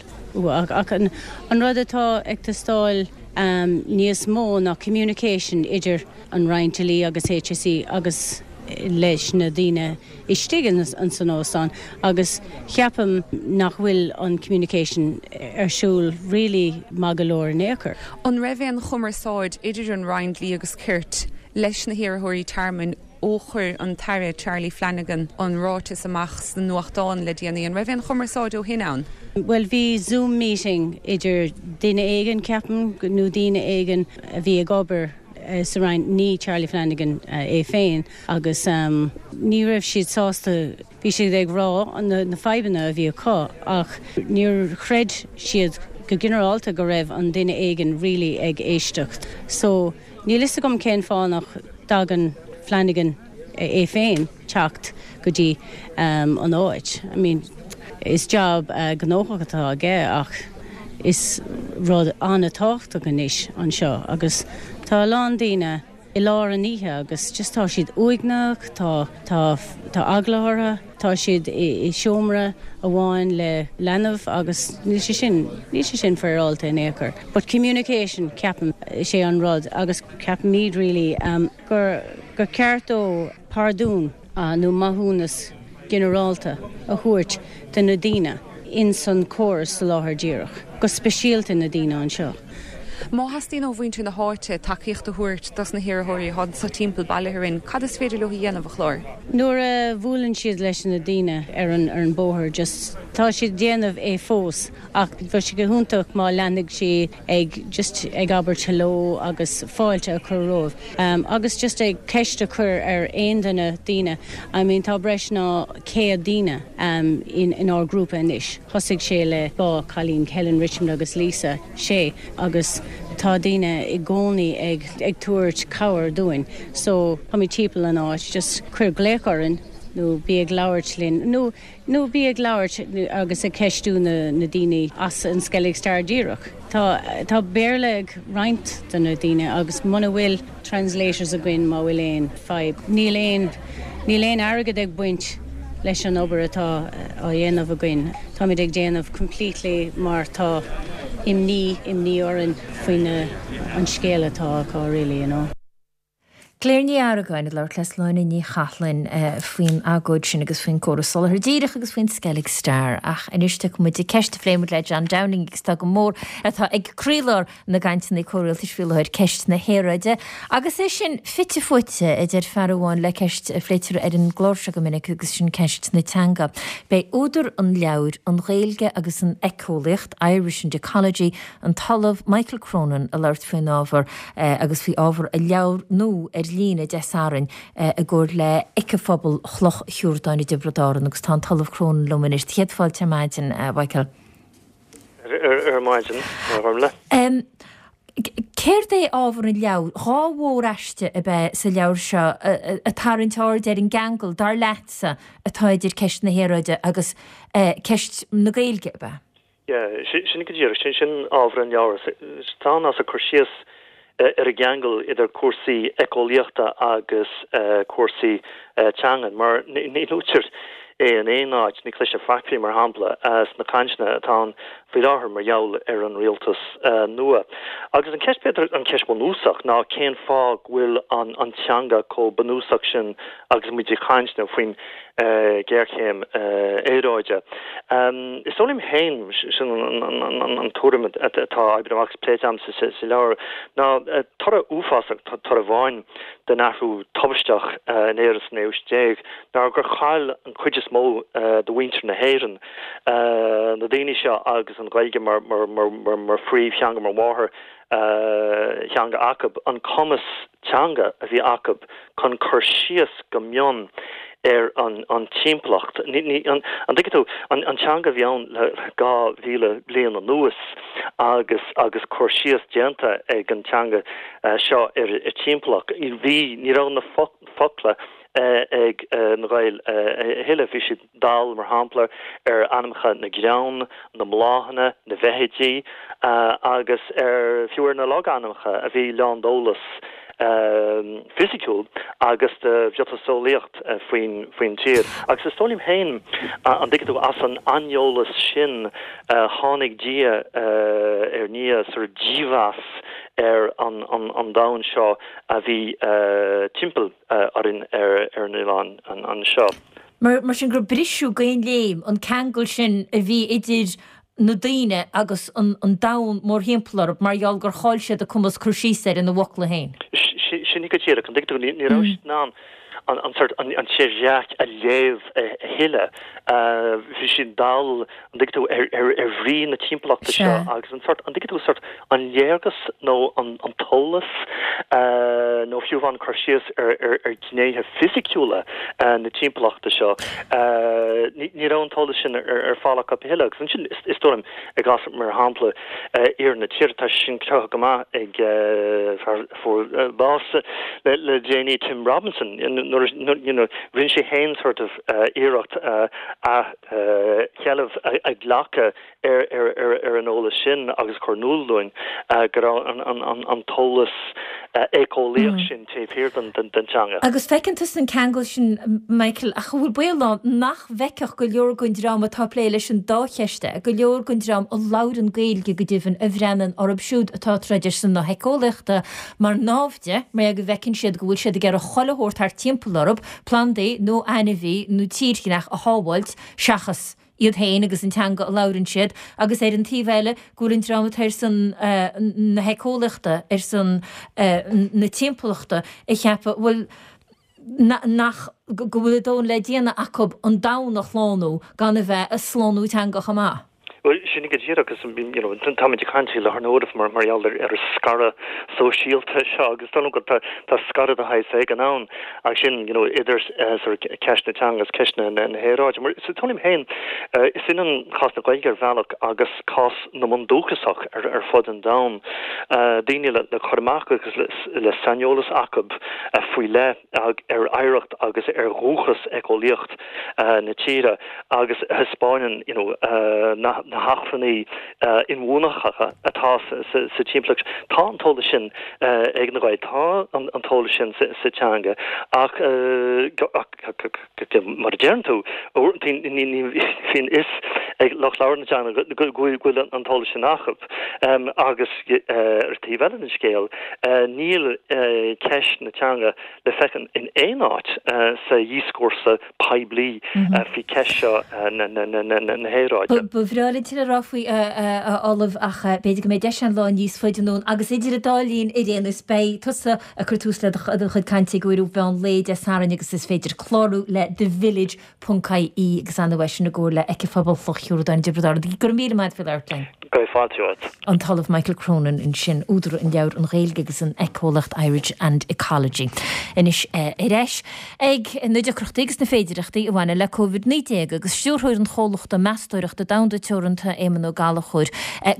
S9: ach an, an rud atá ag teastáil um, níos mó ná communication idir an Roinn Dlí agus HSE agus leis na daoine istigh an san óstán agus ceapaim nach bhfuil an communication ar siúl really maith go leor in aon chor.
S10: An raibh aon chumarsáid idir an Roinn Dlí agus Cirt leis na hiarrthóirí tearmainn ó chuir an tAire Charlie Flanagan an ráiteas amach sna nuachtáin le déanaí an raibh aon chumarsáid ó shin ann?
S9: Well bhí Zoom meeting idir duine éigin ceapaim nó daoine éigin a bhí ag obair uh, sa Roinn ní Charlie Flanagan uh, é féin agus um, ní raibh siad sásta bhí siad ag rá an na, na fadhbanna a bhí acu ach níor chreid siad go ginearálta go raibh an duine éigin really ag éisteacht. So níl fhios agam cén fáth nach dtagann Flanagan é féin teacht go dtí um, an áit. I mean, is job uh, gnóthach atá aige ach is rud an-tábhachtach anois anseo agus tá a lán daoine i lár an oíche agus just tá siad uaigneach, tá tá tá eagla orthu, tá siad i, i seomra amháin le leanbh agus níl sé sin níl sé sin féaráilte in aon chor. But communication ceapaim sé an rud agus ceapaimid really um, gur gur ceart dó pardún uh, nó maithiúnas ginearálta a thabhairt do na daoine in san córas soláthair díreach, go speisialta na daoine anseo.
S10: Má theastaíonn ó mhuintir na háite tacaíocht a thabhairt dos na hiarrthóirí atá sa timpeall baile in, cad is féidir leo a dhéanamh a Chláir?
S9: Nuair a bhuaileann siad leis na daoine ar an ar an bóthar just tá siad déanamh é fós ach bheadh sé go hiontach má leanfaidh sí ag just ag abairt hello agus fáilte a chur rompu. Um, agus just ag ceist a chur ar aon duine daoine. I mean tá breis ná céad daoine um, in, in ár grúpa anois. Thosaigh sé le dhá chailín Helen Richmond agus Lisa sé agus tá daoine i gcónaí ag ag tabhairt cabhair dúinn. So tá mé timpeall an áit, just cuir glaoch orainn nó bí ag labhairt linn nó nó bí ag labhairt agus ag ceistiú na, na daoine as an Skellig Star díreach. Tá tá Béarla ag roinnt de na daoine agus muna bhfuil translators againn má bhfuil aon fadhb. Níl aon níl aon airgead ag baint leis an obair atá á dhéanamh againn. Táimid ag déanamh completely mar tá imní imní orainn faoin an scéal atá acu really, you know.
S1: Claire Ní Argáin ag labhairt le Sláine Ní Chathlain uh, faoin agóid sin agus faoin córas soláthair díreach agus faoin Skellig Star ach anois muid ag ceist a phléimid le John Downing agus tá go mór atá ag croílár na gcainteanna comhrialtais faoi láthair ceist na haeráide agus é sin fite fuaite a deir fear amháin le ceist a phléitear ar an gclár seo go minic agus sin ceist na teanga. Beidh údar an leabhair an Ghaeilge agus an éiceolaíocht Irish and Ecology an tOllamh Michael Cronin ag labhairt faoin ábhar uh, agus faoi ábhar a leabhair nua ar líne Dé Sathairn i gcomhar le Éiceaphobal Chloch Shiúrdáin i dTiobraid Árann agus tá an tOllamh Cronin liom anois céad fáilte ar maidin Michael.
S11: Ar maidin ar le.
S1: Um, Céard é ábhar an leabhair? Dhá mhóraiste ab ea sa leabhar seo ag tarraingt aird ar an gceangal, dar leatsa, atá idir ceist na haeráide agus ceist na Gaeilge, ab ea?
S11: Yeah, sin go díreach, sin sin ábhar an leabhair. Tá ann as a cur síos ar an gceangal idir cúrsaí éiceolaíochta agus cúrsaí teangan, mar ní luaitear é in aon áit, ní chloistear faic faoi, mar shampla, sna cainteanna atá ann faoi láthair mar gheall ar an rialtas nua. Agus an cheist, b'fhéidir an cheist bhunúsach, ná cén fáth go bhfuil an an teanga chomh bunúsach sin agus muid ag caint faoin ghéarchéim aeráide. Is dóigh liom féin, sin an tuairim atá oibrithe amach agus pléite agam sa leabhar, ná toradh uafásach, toradh amháin den athrú tubaisteach in Éirinn sa naoú haois déag ná gur chaill an chuid is mó de mhuintir na hÉireann, na daoine seo agus an Ghaeilge mar phríomhtheanga, mar mháthairtheanga acu, an cumas teanga a bhí acu chun cur síos go mion ar an timpeallacht. An dtuigeann tú, an teanga a bhí ann le dhá mhíle bliain anuas agus agus cur síos déanta ag an teanga seo ar an timpeallacht. Bhí, ní raibh na focla ag na Gaeil a thuilleadh. Bhí siad dall, mar shampla, ar ainmneacha na gcrann, na mbláthanna, na bhfeithidí agus ar, fiú ar na logainmneacha a bhí lán d'eolas fisiciúil agus de mhiotaseolaíocht faoin faoin tír. Agus is dóigh liom féin, an dtuigeann tú, as an aineolas sin tháinig diaidh ar ndiaidh sort dímheas ar an an domhan seo a bhí timpeall orainn ar ar an oileán anseo.
S1: Mar sin gur briseadh d'aon léim an ceangal sin a bhí idir na daoine agus an domhan mórthimpeall orthu mar gheall gur chaill siad a cumas cur síos air ina bhfocla féin.
S11: Sin é go díreach, an dtuigeann tú, ní raibh siad in ann an sort an tírdhreach a léamh a thuilleadh. Bhí siad dall, an dtuigeann tú, ar ar bhrí na timpeallachta seo agus an sort, an dtuigeann tú, sort an léargas nó an t-eolas nó fiú amháin cur síos ar ar ghnéithe fisiciúla na timpeallachta seo, ní raibh an t-eolas sin ar fáil acu a thuilleadh. Agus ansin, is dóigh liom, i gcás, mar shampla, iarthar na tíre, tá sé sin cruthaithe go maith ag fear a fuair bás le déanaí, Tim Robinson, nuair a, you know, rinne sé féin sort of iarracht a sheilbh a ghlacadh ar ar an eolas sin agus cur in iúl dúinn go raibh an t-eolas éiceolaíoch sin taobh thiar den teanga.
S1: Agus feiceann tusa an ceangal sin, Michael, ach an bhfuil baol ann nach bhfeicfeadh go leor den dream atá ag plé leis an dá cheist é, go leor den dream a labhrann Gaeilge go deimhin, a bhreathnaíonn orthu siúd atá ag troid ar son na héiceolaíochta mar naimhde, mar go bhfeiceann siad go bhfuil siad ag iarraidh chuile shórt thart timpeall orthu, plandaí nó ainmhí nó tírdhreach a shábháilt seachas iad féin agus an teanga a labhrann siad, agus ar an taobh eile go bhfuil an dream atá ar son na héiceolaíochta, ar son na timpeallachta ag ceapadh, bhuel, nach, go bhfuil a ndóthain le déanamh acu an domhan a shlánú gan a bheith ag slánú teanga chomh maith.
S11: Bhuel, sin é go díreach agus you know táimid ag caint faoi láthair na huaire mar mar gheall ar ar an scaradh sóisialta seo agus dóigh liom go tá tá scaradh de shaghas éigin ann ach sin you know idir sort of ceist na teanga agus ceist na na haeráide. Mar is dóigh liom féin is ionann cás na Gaeilge ar bhealach agus cás na mbundúchasach ar ar fud an domhain, daoine le le cur amach agus le le saineolas acu faoi leith ar oidhreacht agus ar dhúchas éiceolaíoch na tíre agus a thaispeánann you know na hacmhainní inbhuanaitheacha atá sa timpeallacht. Tá an t-eolas sin ag na Gaeil, tá an t-eolas sin sa teanga ach mar a deireann tú, uaireanta ní bhíonn fhios ag lucht labhartha na teanga go bhfuil an t-eolas sin acu. Agus ar taobh eile den scéal, níl ceist na teanga le feiceáil in aon áit sa dhíoscúrsa poiblí faoi cheist seo na haeráide.
S1: Ba bhreá linn tuilleadh a rá faoi, a Ollaimh, ach b'fhéidir go mbeidh deis ann lá níos faide anonn. Agus idir an dá linn ar aon nós, beidh tusa ag cur tús le do chuid cainte ag uair mheán lae Dé Sathairn agus is féidir clárú le The Village ponc ie agus an uair sin i gcomhar le Éiceaphobal Chloich Chioradáin i dTiobraid Árann. Go raibh míle maith agat faoi labhairt linn.
S11: Go raibh fáilte romhat.
S1: An tOllamh Michael Cronin ansin, údar an leabhair An Ghaeilge agus an Éiceolaíocht, Irish and Ecology. Anois ar ais ag na deacrachtaí agus na féidireachtaí a bhaineann le Covid naoi déag agus Stiúrthóir an chomhlachta meastóireachta domhanda teoranta Teoranta, Éamonn Ó Gallchóir,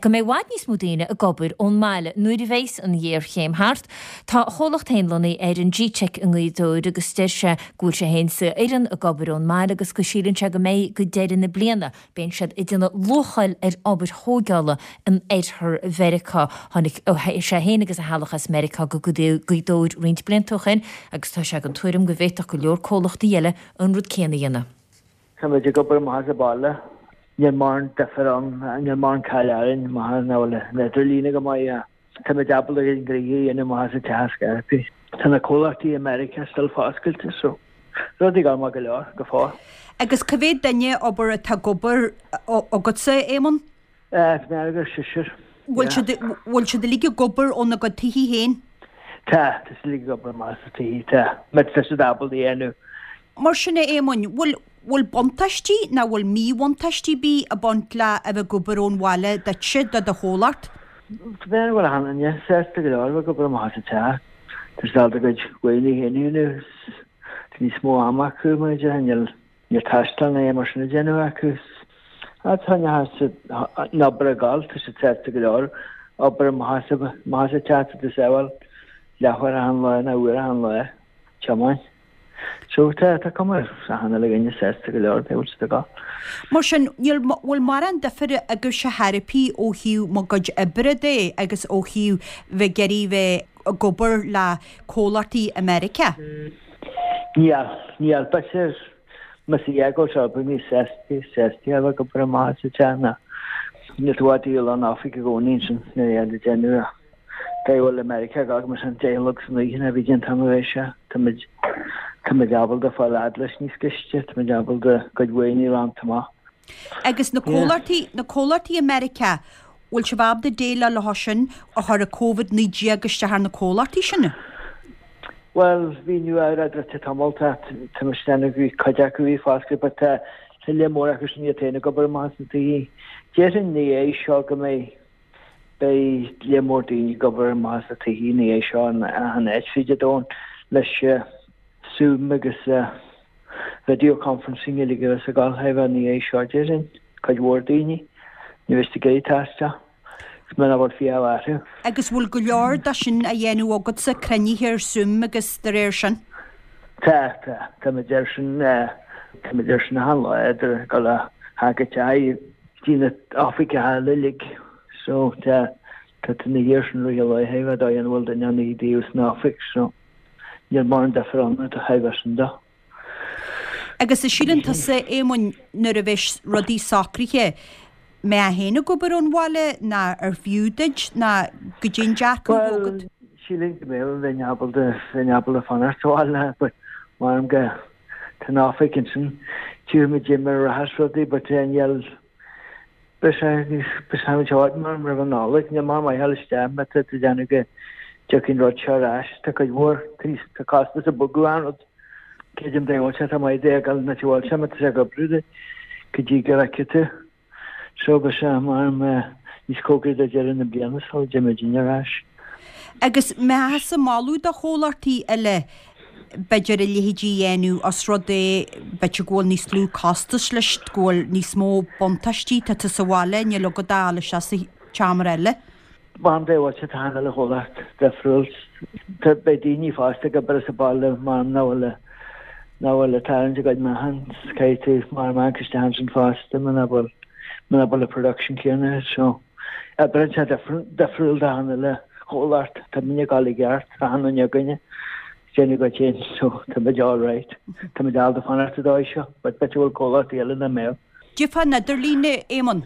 S1: go mbeidh i bhfad níos mó daoine ag obair ón mbaile nuair a bheas an ghéarchéim thart. Tá a chomhlacht féin lonnaithe ar an G-Tech i nGaoth Dobhair agus deir sé go bhfuil sé féin is a fhoireann ag obair ón mbaile agus go síleann sé go mbeidh go deireadh na bliana. Bíonn siad ag déanamh luacháil ar obair thógála in oirthear Mheiriceá. Tháinig sé féin agus a theaghlach as Meiriceá go Gaoth Dobhair roinnt blianta ó shin agus tá sé den tuairim go bhféadfadh go leor comhlachtaí eile an rud céanna a dhéanamh.
S12: Tá muid ag obair amach as an baile. Níl mórán difear ann, níl mórán caill orainn má nach bhfuil an idirlíon go maith. Tá muid ábalta an gnoithe a dhéanamh amach as an teach ar scor ar bith. Tá na comhlachtaí i Meiriceá still foscailte so rudaí ag dul maith go leor go fóill.
S13: Agus cá mhéad duine obair atá ag obair agatsa, Éamonn?
S12: Eh, tá mé agus seisear.
S13: Bhfuil siad, bhfuil siad uilig ag obair óna gcuid tithe féin?
S12: Tá, tá siad uilig ag obair amach as a tithe, tá. Má tá siad ábalta a dhéanamh.
S13: Mar sin a Éamoinn, bhfuil, bhfuil buntáistí ná bhfuil míbhuntáistí ar bith ag baint le a bheith ag obair ón bhaile duitse, do do chomhlacht?
S12: Tá mé bhfuil achan duine sásta go leor a bheith ag obair amach as an teach. Tá siad ábalta a gcuid uaireanta féin a dhéanamh, tá níos mó ama acu mar a déarfá, níl, níl taisteal ná aon mar sin a déanamh acu. Tá an obair ag gabháil, tá siad sásta go leor obair amach as amach as an teach, tá tú sábháil leathuair achan lá nó uair achan lá tiomáint. So tá tá cuma ar achan uile dhuine sásta go leor dá bhfuil siad ag gabháil.
S13: Mar sin, níl bhfuil mórán difir agaibhse chor ar bith ó thaobh mo gcuid oibre de agus ó thaobh bheith ag iarraidh bheith ag obair le comhlachtaí i Meiriceá?
S12: Níl, níl. B'fhéidir Más ea go bhfuil sé níos sásta sásta a bheith ag obair amach as an teach ná níl tú i bhfad díol an oifig i gcónaí ansin nuair a dhéanann déanamh a dá bhfuil i Meiriceá gach mar sin deich a chlog san oíche ná bhí déanta am a bheidh sé táimid táimid ábalta fáil fhad leis níos gaiste táimid ábalta cuid mhaoine a roinnt amach.
S13: Agus na comhlachtaí na comhlachtaí i Meiriceá bhfuil sibh ábalta déileáil leo sin a chuir an Covid naoi déag isteach ar na comhlachtaí sin?
S12: Bhuel, bhí Nua-Eabhrac druidte tamall, tá tá mise ag déanamh go bhí cuid acu bhí foscailte but tá tá lear mór acu sin iad féin ag obair amach as na tithe. Déarfainn ina dhiaidh seo go mbeidh beidh lear mór daoine ag obair amach as na tithe ina dhiaidh seo in achan áit fríd an domhan leis Zoom agus video conferencing uilig a bheas ag gabháil a bheith ina dhiaidh seo déarfainn, cuid mhór daoine. Ní bheidh siad ag iarraidh taisteal. Is muna bhfuil fiach orthu.
S13: Agus bhfuil go leor de sin á dhéanamh agatsa, cruinnithe ar Zoom agus de réir sin?
S12: Tá, tá. Táimid air sin, táimid air sin achan lá, idir ag dul a theach go teach, dtí na oifigí uilig. So, tá, tá na thiar sin rith a laetha, bheith dóigh an bhfuil duine ann i dtaobh san oifig, so níl mórán difear ann do thaobh sin de.
S13: Agus an síleann tusa, Éamoinn, nuair a bheas rudaí socraithe, mbeifeá féin ag obair ón bhaile ná ar fiú duit ná goidé an dearcadh atá
S12: Bhuel,
S13: agat?
S12: sílim go mbeadh, bheinn ábalta, bheinn ábalta fanacht sa bhaile but maram go, tá an oifig ansin, tchífidh muid mar a rachas rudaí but eh níl, beidh sé níos, beidh sé níos ard maram roimh an Nollaig, níl mórán maith a dhul isteach má tá tú ag déanamh go dtiocfaidh an rud seo ar ais, tá cuid mhór, tá níos, tá costas ag bogadh an rud. Creidim dá bhfuil sé, tá maith duit a dhul na bhfuil sé má tá sé ag oibriú duit go dtí go bhfeicfidh tú. So beidh sé maram níos cóngaraí do deireadh na bliana sula dtéimid muidinne ar ais.
S13: Agus mbeifeása ag moladh do chomhlachtaí eile b'fhéidir a leithéidí a dhéanamh os rud é b'fhéidir go bhfuil níos lú costais leis, go bhfuil níos mó buntáistí, tá tú sa bhaile, níl agat ach a dhul isteach sa tseomra eile.
S12: Maram dá bhfuil sé tá achan uile chomhlacht difriúil. Tá beidh daoine fosta ag obair as an baile maram nach bhfuil nach bhfuil ag tarraingt a gcuid meáchan caithfidh tú maram amharc isteach ansin fosta muna bhfuil muna bhfuil an production céanna agat so oibríonn sé difriúil d'achan uile chomhlacht. Tá muidne ag dul i gceart achan duine againne ag déanamh a gcuid féin so tá muid all right. Tá muid ábalta fanacht sa dóigh seo but b'fhéidir go bhfuil comhlachtaí eile nach mbeadh.
S13: Cad é fán idirlíon, a Éamoinn.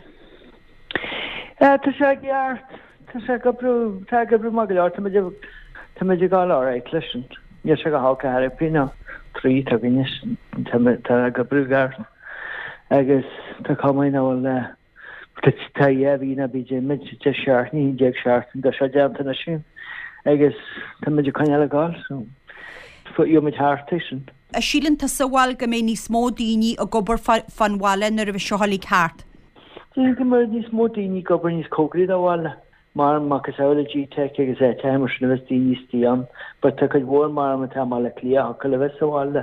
S12: Tá sé i gceart. Tá sé ag oibriú, tá ag oibriú maith go leor. Tá muid ag, tá muid ag gabháil alright leis sin. Níl sé go holc ar chor ar bith nó trí tá againne sin. Tá muid, tá ag oibriú i gceart. Agus tá cuma nach bhfuil, tá, tá dhá mhí ná bí déanfaidh muid deich seachtain, haon déag seachtain de seo déanta anois againn. Agus tá muid ag coinneáil ag gabháil so gheobhaidh muid thart é sin.
S13: An síleann tusa, bhuel, go mbeidh níos mó daoine ag obair fán bhaile nuair a bheidh seo uilig thart?
S12: Sílim go mbeidh níos mó daoine ag obair níos cóngaraí do bhaile, mar macasamhail le G-Tech agus áiteacha mar sin a bheas daoine istigh ann. But tá cuid mhór mar atá i mBaile Átha Cliath a thiocfadh le bheith sa bhaile.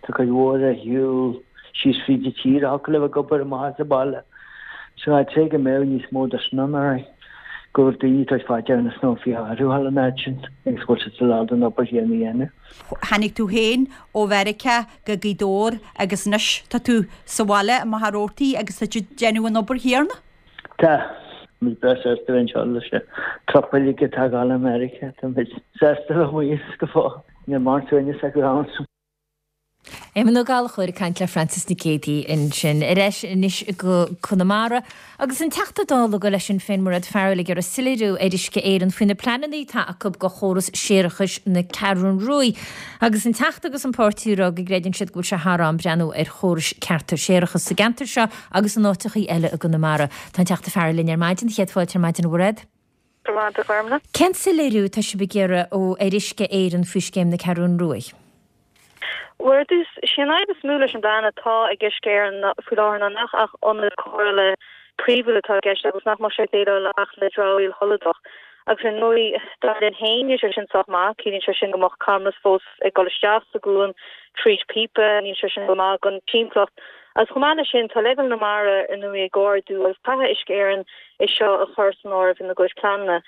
S12: Tá cuid mhór ar shiúl síos fríd an tír a thiocfadh le bheith ag obair amach as an baile. So I'd say go mbeadh níos mó de sin ann alright. Go bhfuil daoine ag tabhairt fá dear na snow faoi athrú thall an áit sin agus go bhfuil siad ábalta an obair chéanna a dhéanamh.
S13: Tháinig tú féin ó Mheiriceá go Gaoth Dobhair agus anois tá tú sa bhaile i Machaire Rabhartaigh agus tá tú ag déanamh an obair chéanna?
S12: Tá. Tá muid breá sásta bheith anseo leis na trupaí uilig atá ag dul i Meiriceá. Tá muid sásta bheith amuigh go fóill. Níl mórán suaimhneas acu ann.
S1: Éamonn Ó Gallchóir ag caint le Francis Nic Géadaigh ansin. Ar ais anois go Conamara agus an Teachta Dála le Sinn Féin Mairéad Farrell ag iarraidh soiléiriú ar Uisce Éireann faoi na pleananna atá acu go chóras séarachais na Ceathrún Rua. Agus an Teachta agus an páirtí ag rá go gcreideann siad go bhfuil sé thar am breathnú ar chórais cearta séarachais sa gceantar seo agus in áiteachaí eile i gConamara. Tá an Teachta Farrell linn ar maidin, chéad fáilte ar maidin a Mhairéad.
S14: Go raibh maith agat a Ghormlaith.
S1: Cén soiléiriú atá sibh ag iarraidh ó ar Uisce Éireann faoi scéim na Ceathrún Rua?
S14: Bhuel, ar dtús, sé an fhadhb is mó leis an bplean atá ag Uisce Éireann faoi láthair ná nach ach ionad cóireála príomhúil atá i gceist agus nach mbeadh sé ag déileáil ach le dramhaíl sholadach. Agus ar ndóigh, dar linn féin, níl sé sin sách maith, ciallaíonn sé sin go mbeadh camras fós ag dul isteach sa gcuan tríd píopa, níl sé sin go maith don timpeallacht. Agus chomh maith leis sin, tá leibhéal na mara ar ndóigh ag ardú agus caithfidh Uisce Éireann é seo a chur san áireamh ina gcuid pleananna.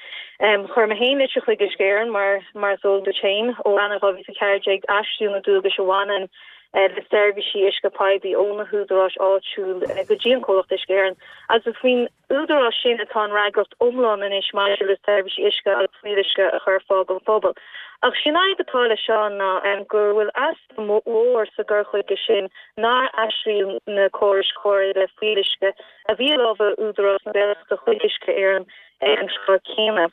S14: Chuir mé féin litir chuig Uisce Éireann mar, mar is eol duit féin, ó Eanáir dhá mhíle is a ceathair déag aistríodh na dualgais a bhaineann le seirbhísí uisce poiblí ó na húdaráis áitiúil go dtí an comhlacht Uisce Éireann agus is faoin údarás sin atá an fhreagracht iomlán anois maidir le seirbhísí uisce agus fuíolluisce a chur ar fáil don phobal. Ach sé an fhadhb atá leis seo ná go bhfuil easpa mhór sa gcur chuige sin nár aistríodh na córais chóireála fuíolluisce a bhí i lámha Údarás na Gaeltachta chuig Uisce Éireann ag an tráth céanna.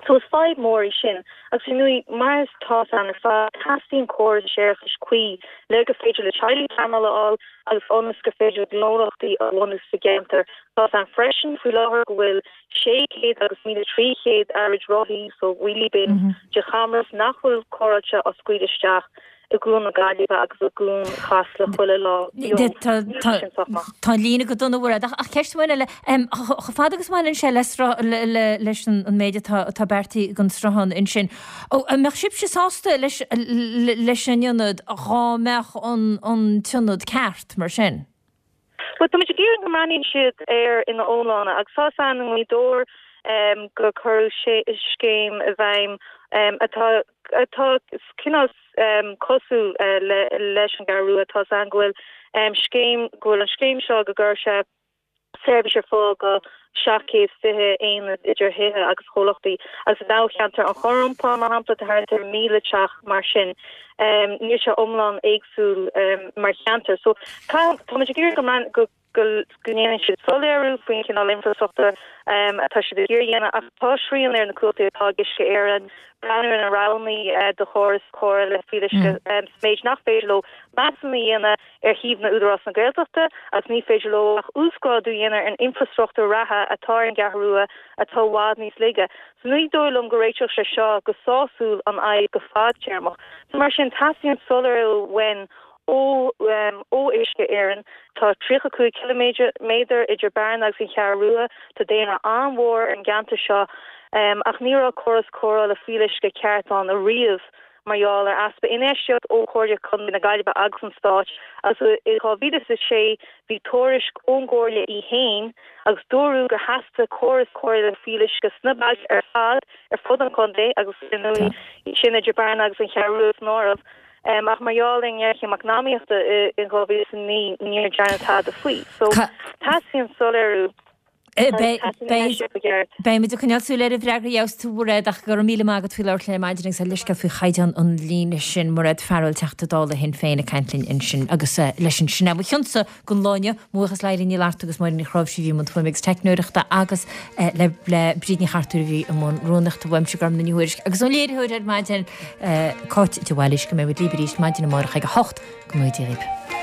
S14: So is fadhb mhór í sin. Agus ar ndóigh, mar is tá a fhios againn ar fad, teastaíonn córas séarachais cuí le gur féidir le teaghlaigh pleanáil a fháil agus ionas gur féidir le gnólachtaí a bhunú sa gceantar. Tá a fhios againn freisin faoi láthair go bhfuil sé chéad agus míle trí chéad araid rothaí, so wheelie bins, de chamras nach bhfuil cóireáilte á scaoileadh isteach i gCuan na Gaillimhe agus i gCuan Chasla chuile lá beo. Níl sé sin sách maith.
S1: Tá an líne go dona, a Mhairéad, ach ceist amháin eile, chomh fada agus a bhaineann sé leis an méid atá beartaithe don sruthán ansin, an mbeadh sibhse sásta leis an ionad dhá mbeadh an t-ionad ceart mar sin?
S14: Bhuel, táimid ag iarraidh go mbreathnaíonn siad air ina iomláine agus tá a fhios againn i nGaoth Dobhair gur cuireadh scéim i bhfeidhm atá atá cineál cosúil leis an gCeathrú Rua. Tá a fhios againn go bhfuil scéim, go bhfuil an scéim seo go gcuirfidh sé seirbhís ar fáil go seacht gcéad is fiche aonad idir thithe agus chomhlachtaí agus i ndáilcheantar an Chorr-Iompáin, mar shampla, tá thart ar míle teach mar sin. Níl sé iomlán éagsúil mar cheantar. So táimid ag iarraidh go mbean, go go ndéanann siad soiléiriú faoin chineál infreastruchtúir atá siad ag iarraidh a dhéanamh ach tá srian ar na cumhachtaí atá ag Uisce Éireann breathnú ar na roghanna do chóras cóireála fuíolluisce sa méid nach féidir leo measúnú a dhéanamh ar thaobh Údarás na Gaeltachta agus ní féidir leo ach uasghrádú a dhéanamh ar an infreastruchtúr reatha atá ar an gCeathrú Rua atá i bhfad níos laige. So ní dóigh liom go réiteodh sé seo go sásúil an fhadhb go fadtéarmach. So mar sin teastaíonn soiléiriú uainn ó ó Uisce Éireann. Tá tríocha cúig ciliméadar idir Bearna agus an Cheathrú Rua. Tá daonra an-mhór ar an gceantar seo ach ní raibh córas cóireála fuíolluisce ceart ann ariamh mar gheall ar easpa infheistíocht ó Chomhairle Contae na Gaillimhe agus an Stáit agus i dhá mhíle is a sé bhí tuairisc ón gComhairle í fhéin agus dúradh gur theastaigh córas cóireála fuíolluisce sna bailte ar fad ar fud an chontae agus ar ndóigh sin idir Bearna agus an Cheathrú Rua san áireamh. Ach mar gheall ar an ngéarchéim eacnamaíochta in dhá mhíle is a naoi níor dearnadh tada faoi. So teastaíonn soiléiriú.
S1: Beimid ag coinneáil súil ar an bhfreagra a gheobhas tú, a Mhairéad, ach go raibh míle maith agat faoi labhairt linn ar maidin agus leithscéal faoi chaighdeán an líne sin. Mairéad Farrell, Teachta Dála Shinn Féin ag caint linn ansin agus leis sin sin é mo chionsa don lá inniu. Mo bhuíochas le Eilín Ní Fhlatharta agus Máire Ní Chráimhsí a bhí i mbun fuaime agus teicneoireachta agus le Bríd Ní Chartúir a bhí i mbun rúnaíochta. Uaimse Gormlaith Ní Thuairisg agus ón léiritheoir ar maidin, Cáit de Bhailís, go mbeidh muid libh arís maidin amárach ag a hocht. Go ngnóthaí Dia dhaoibh.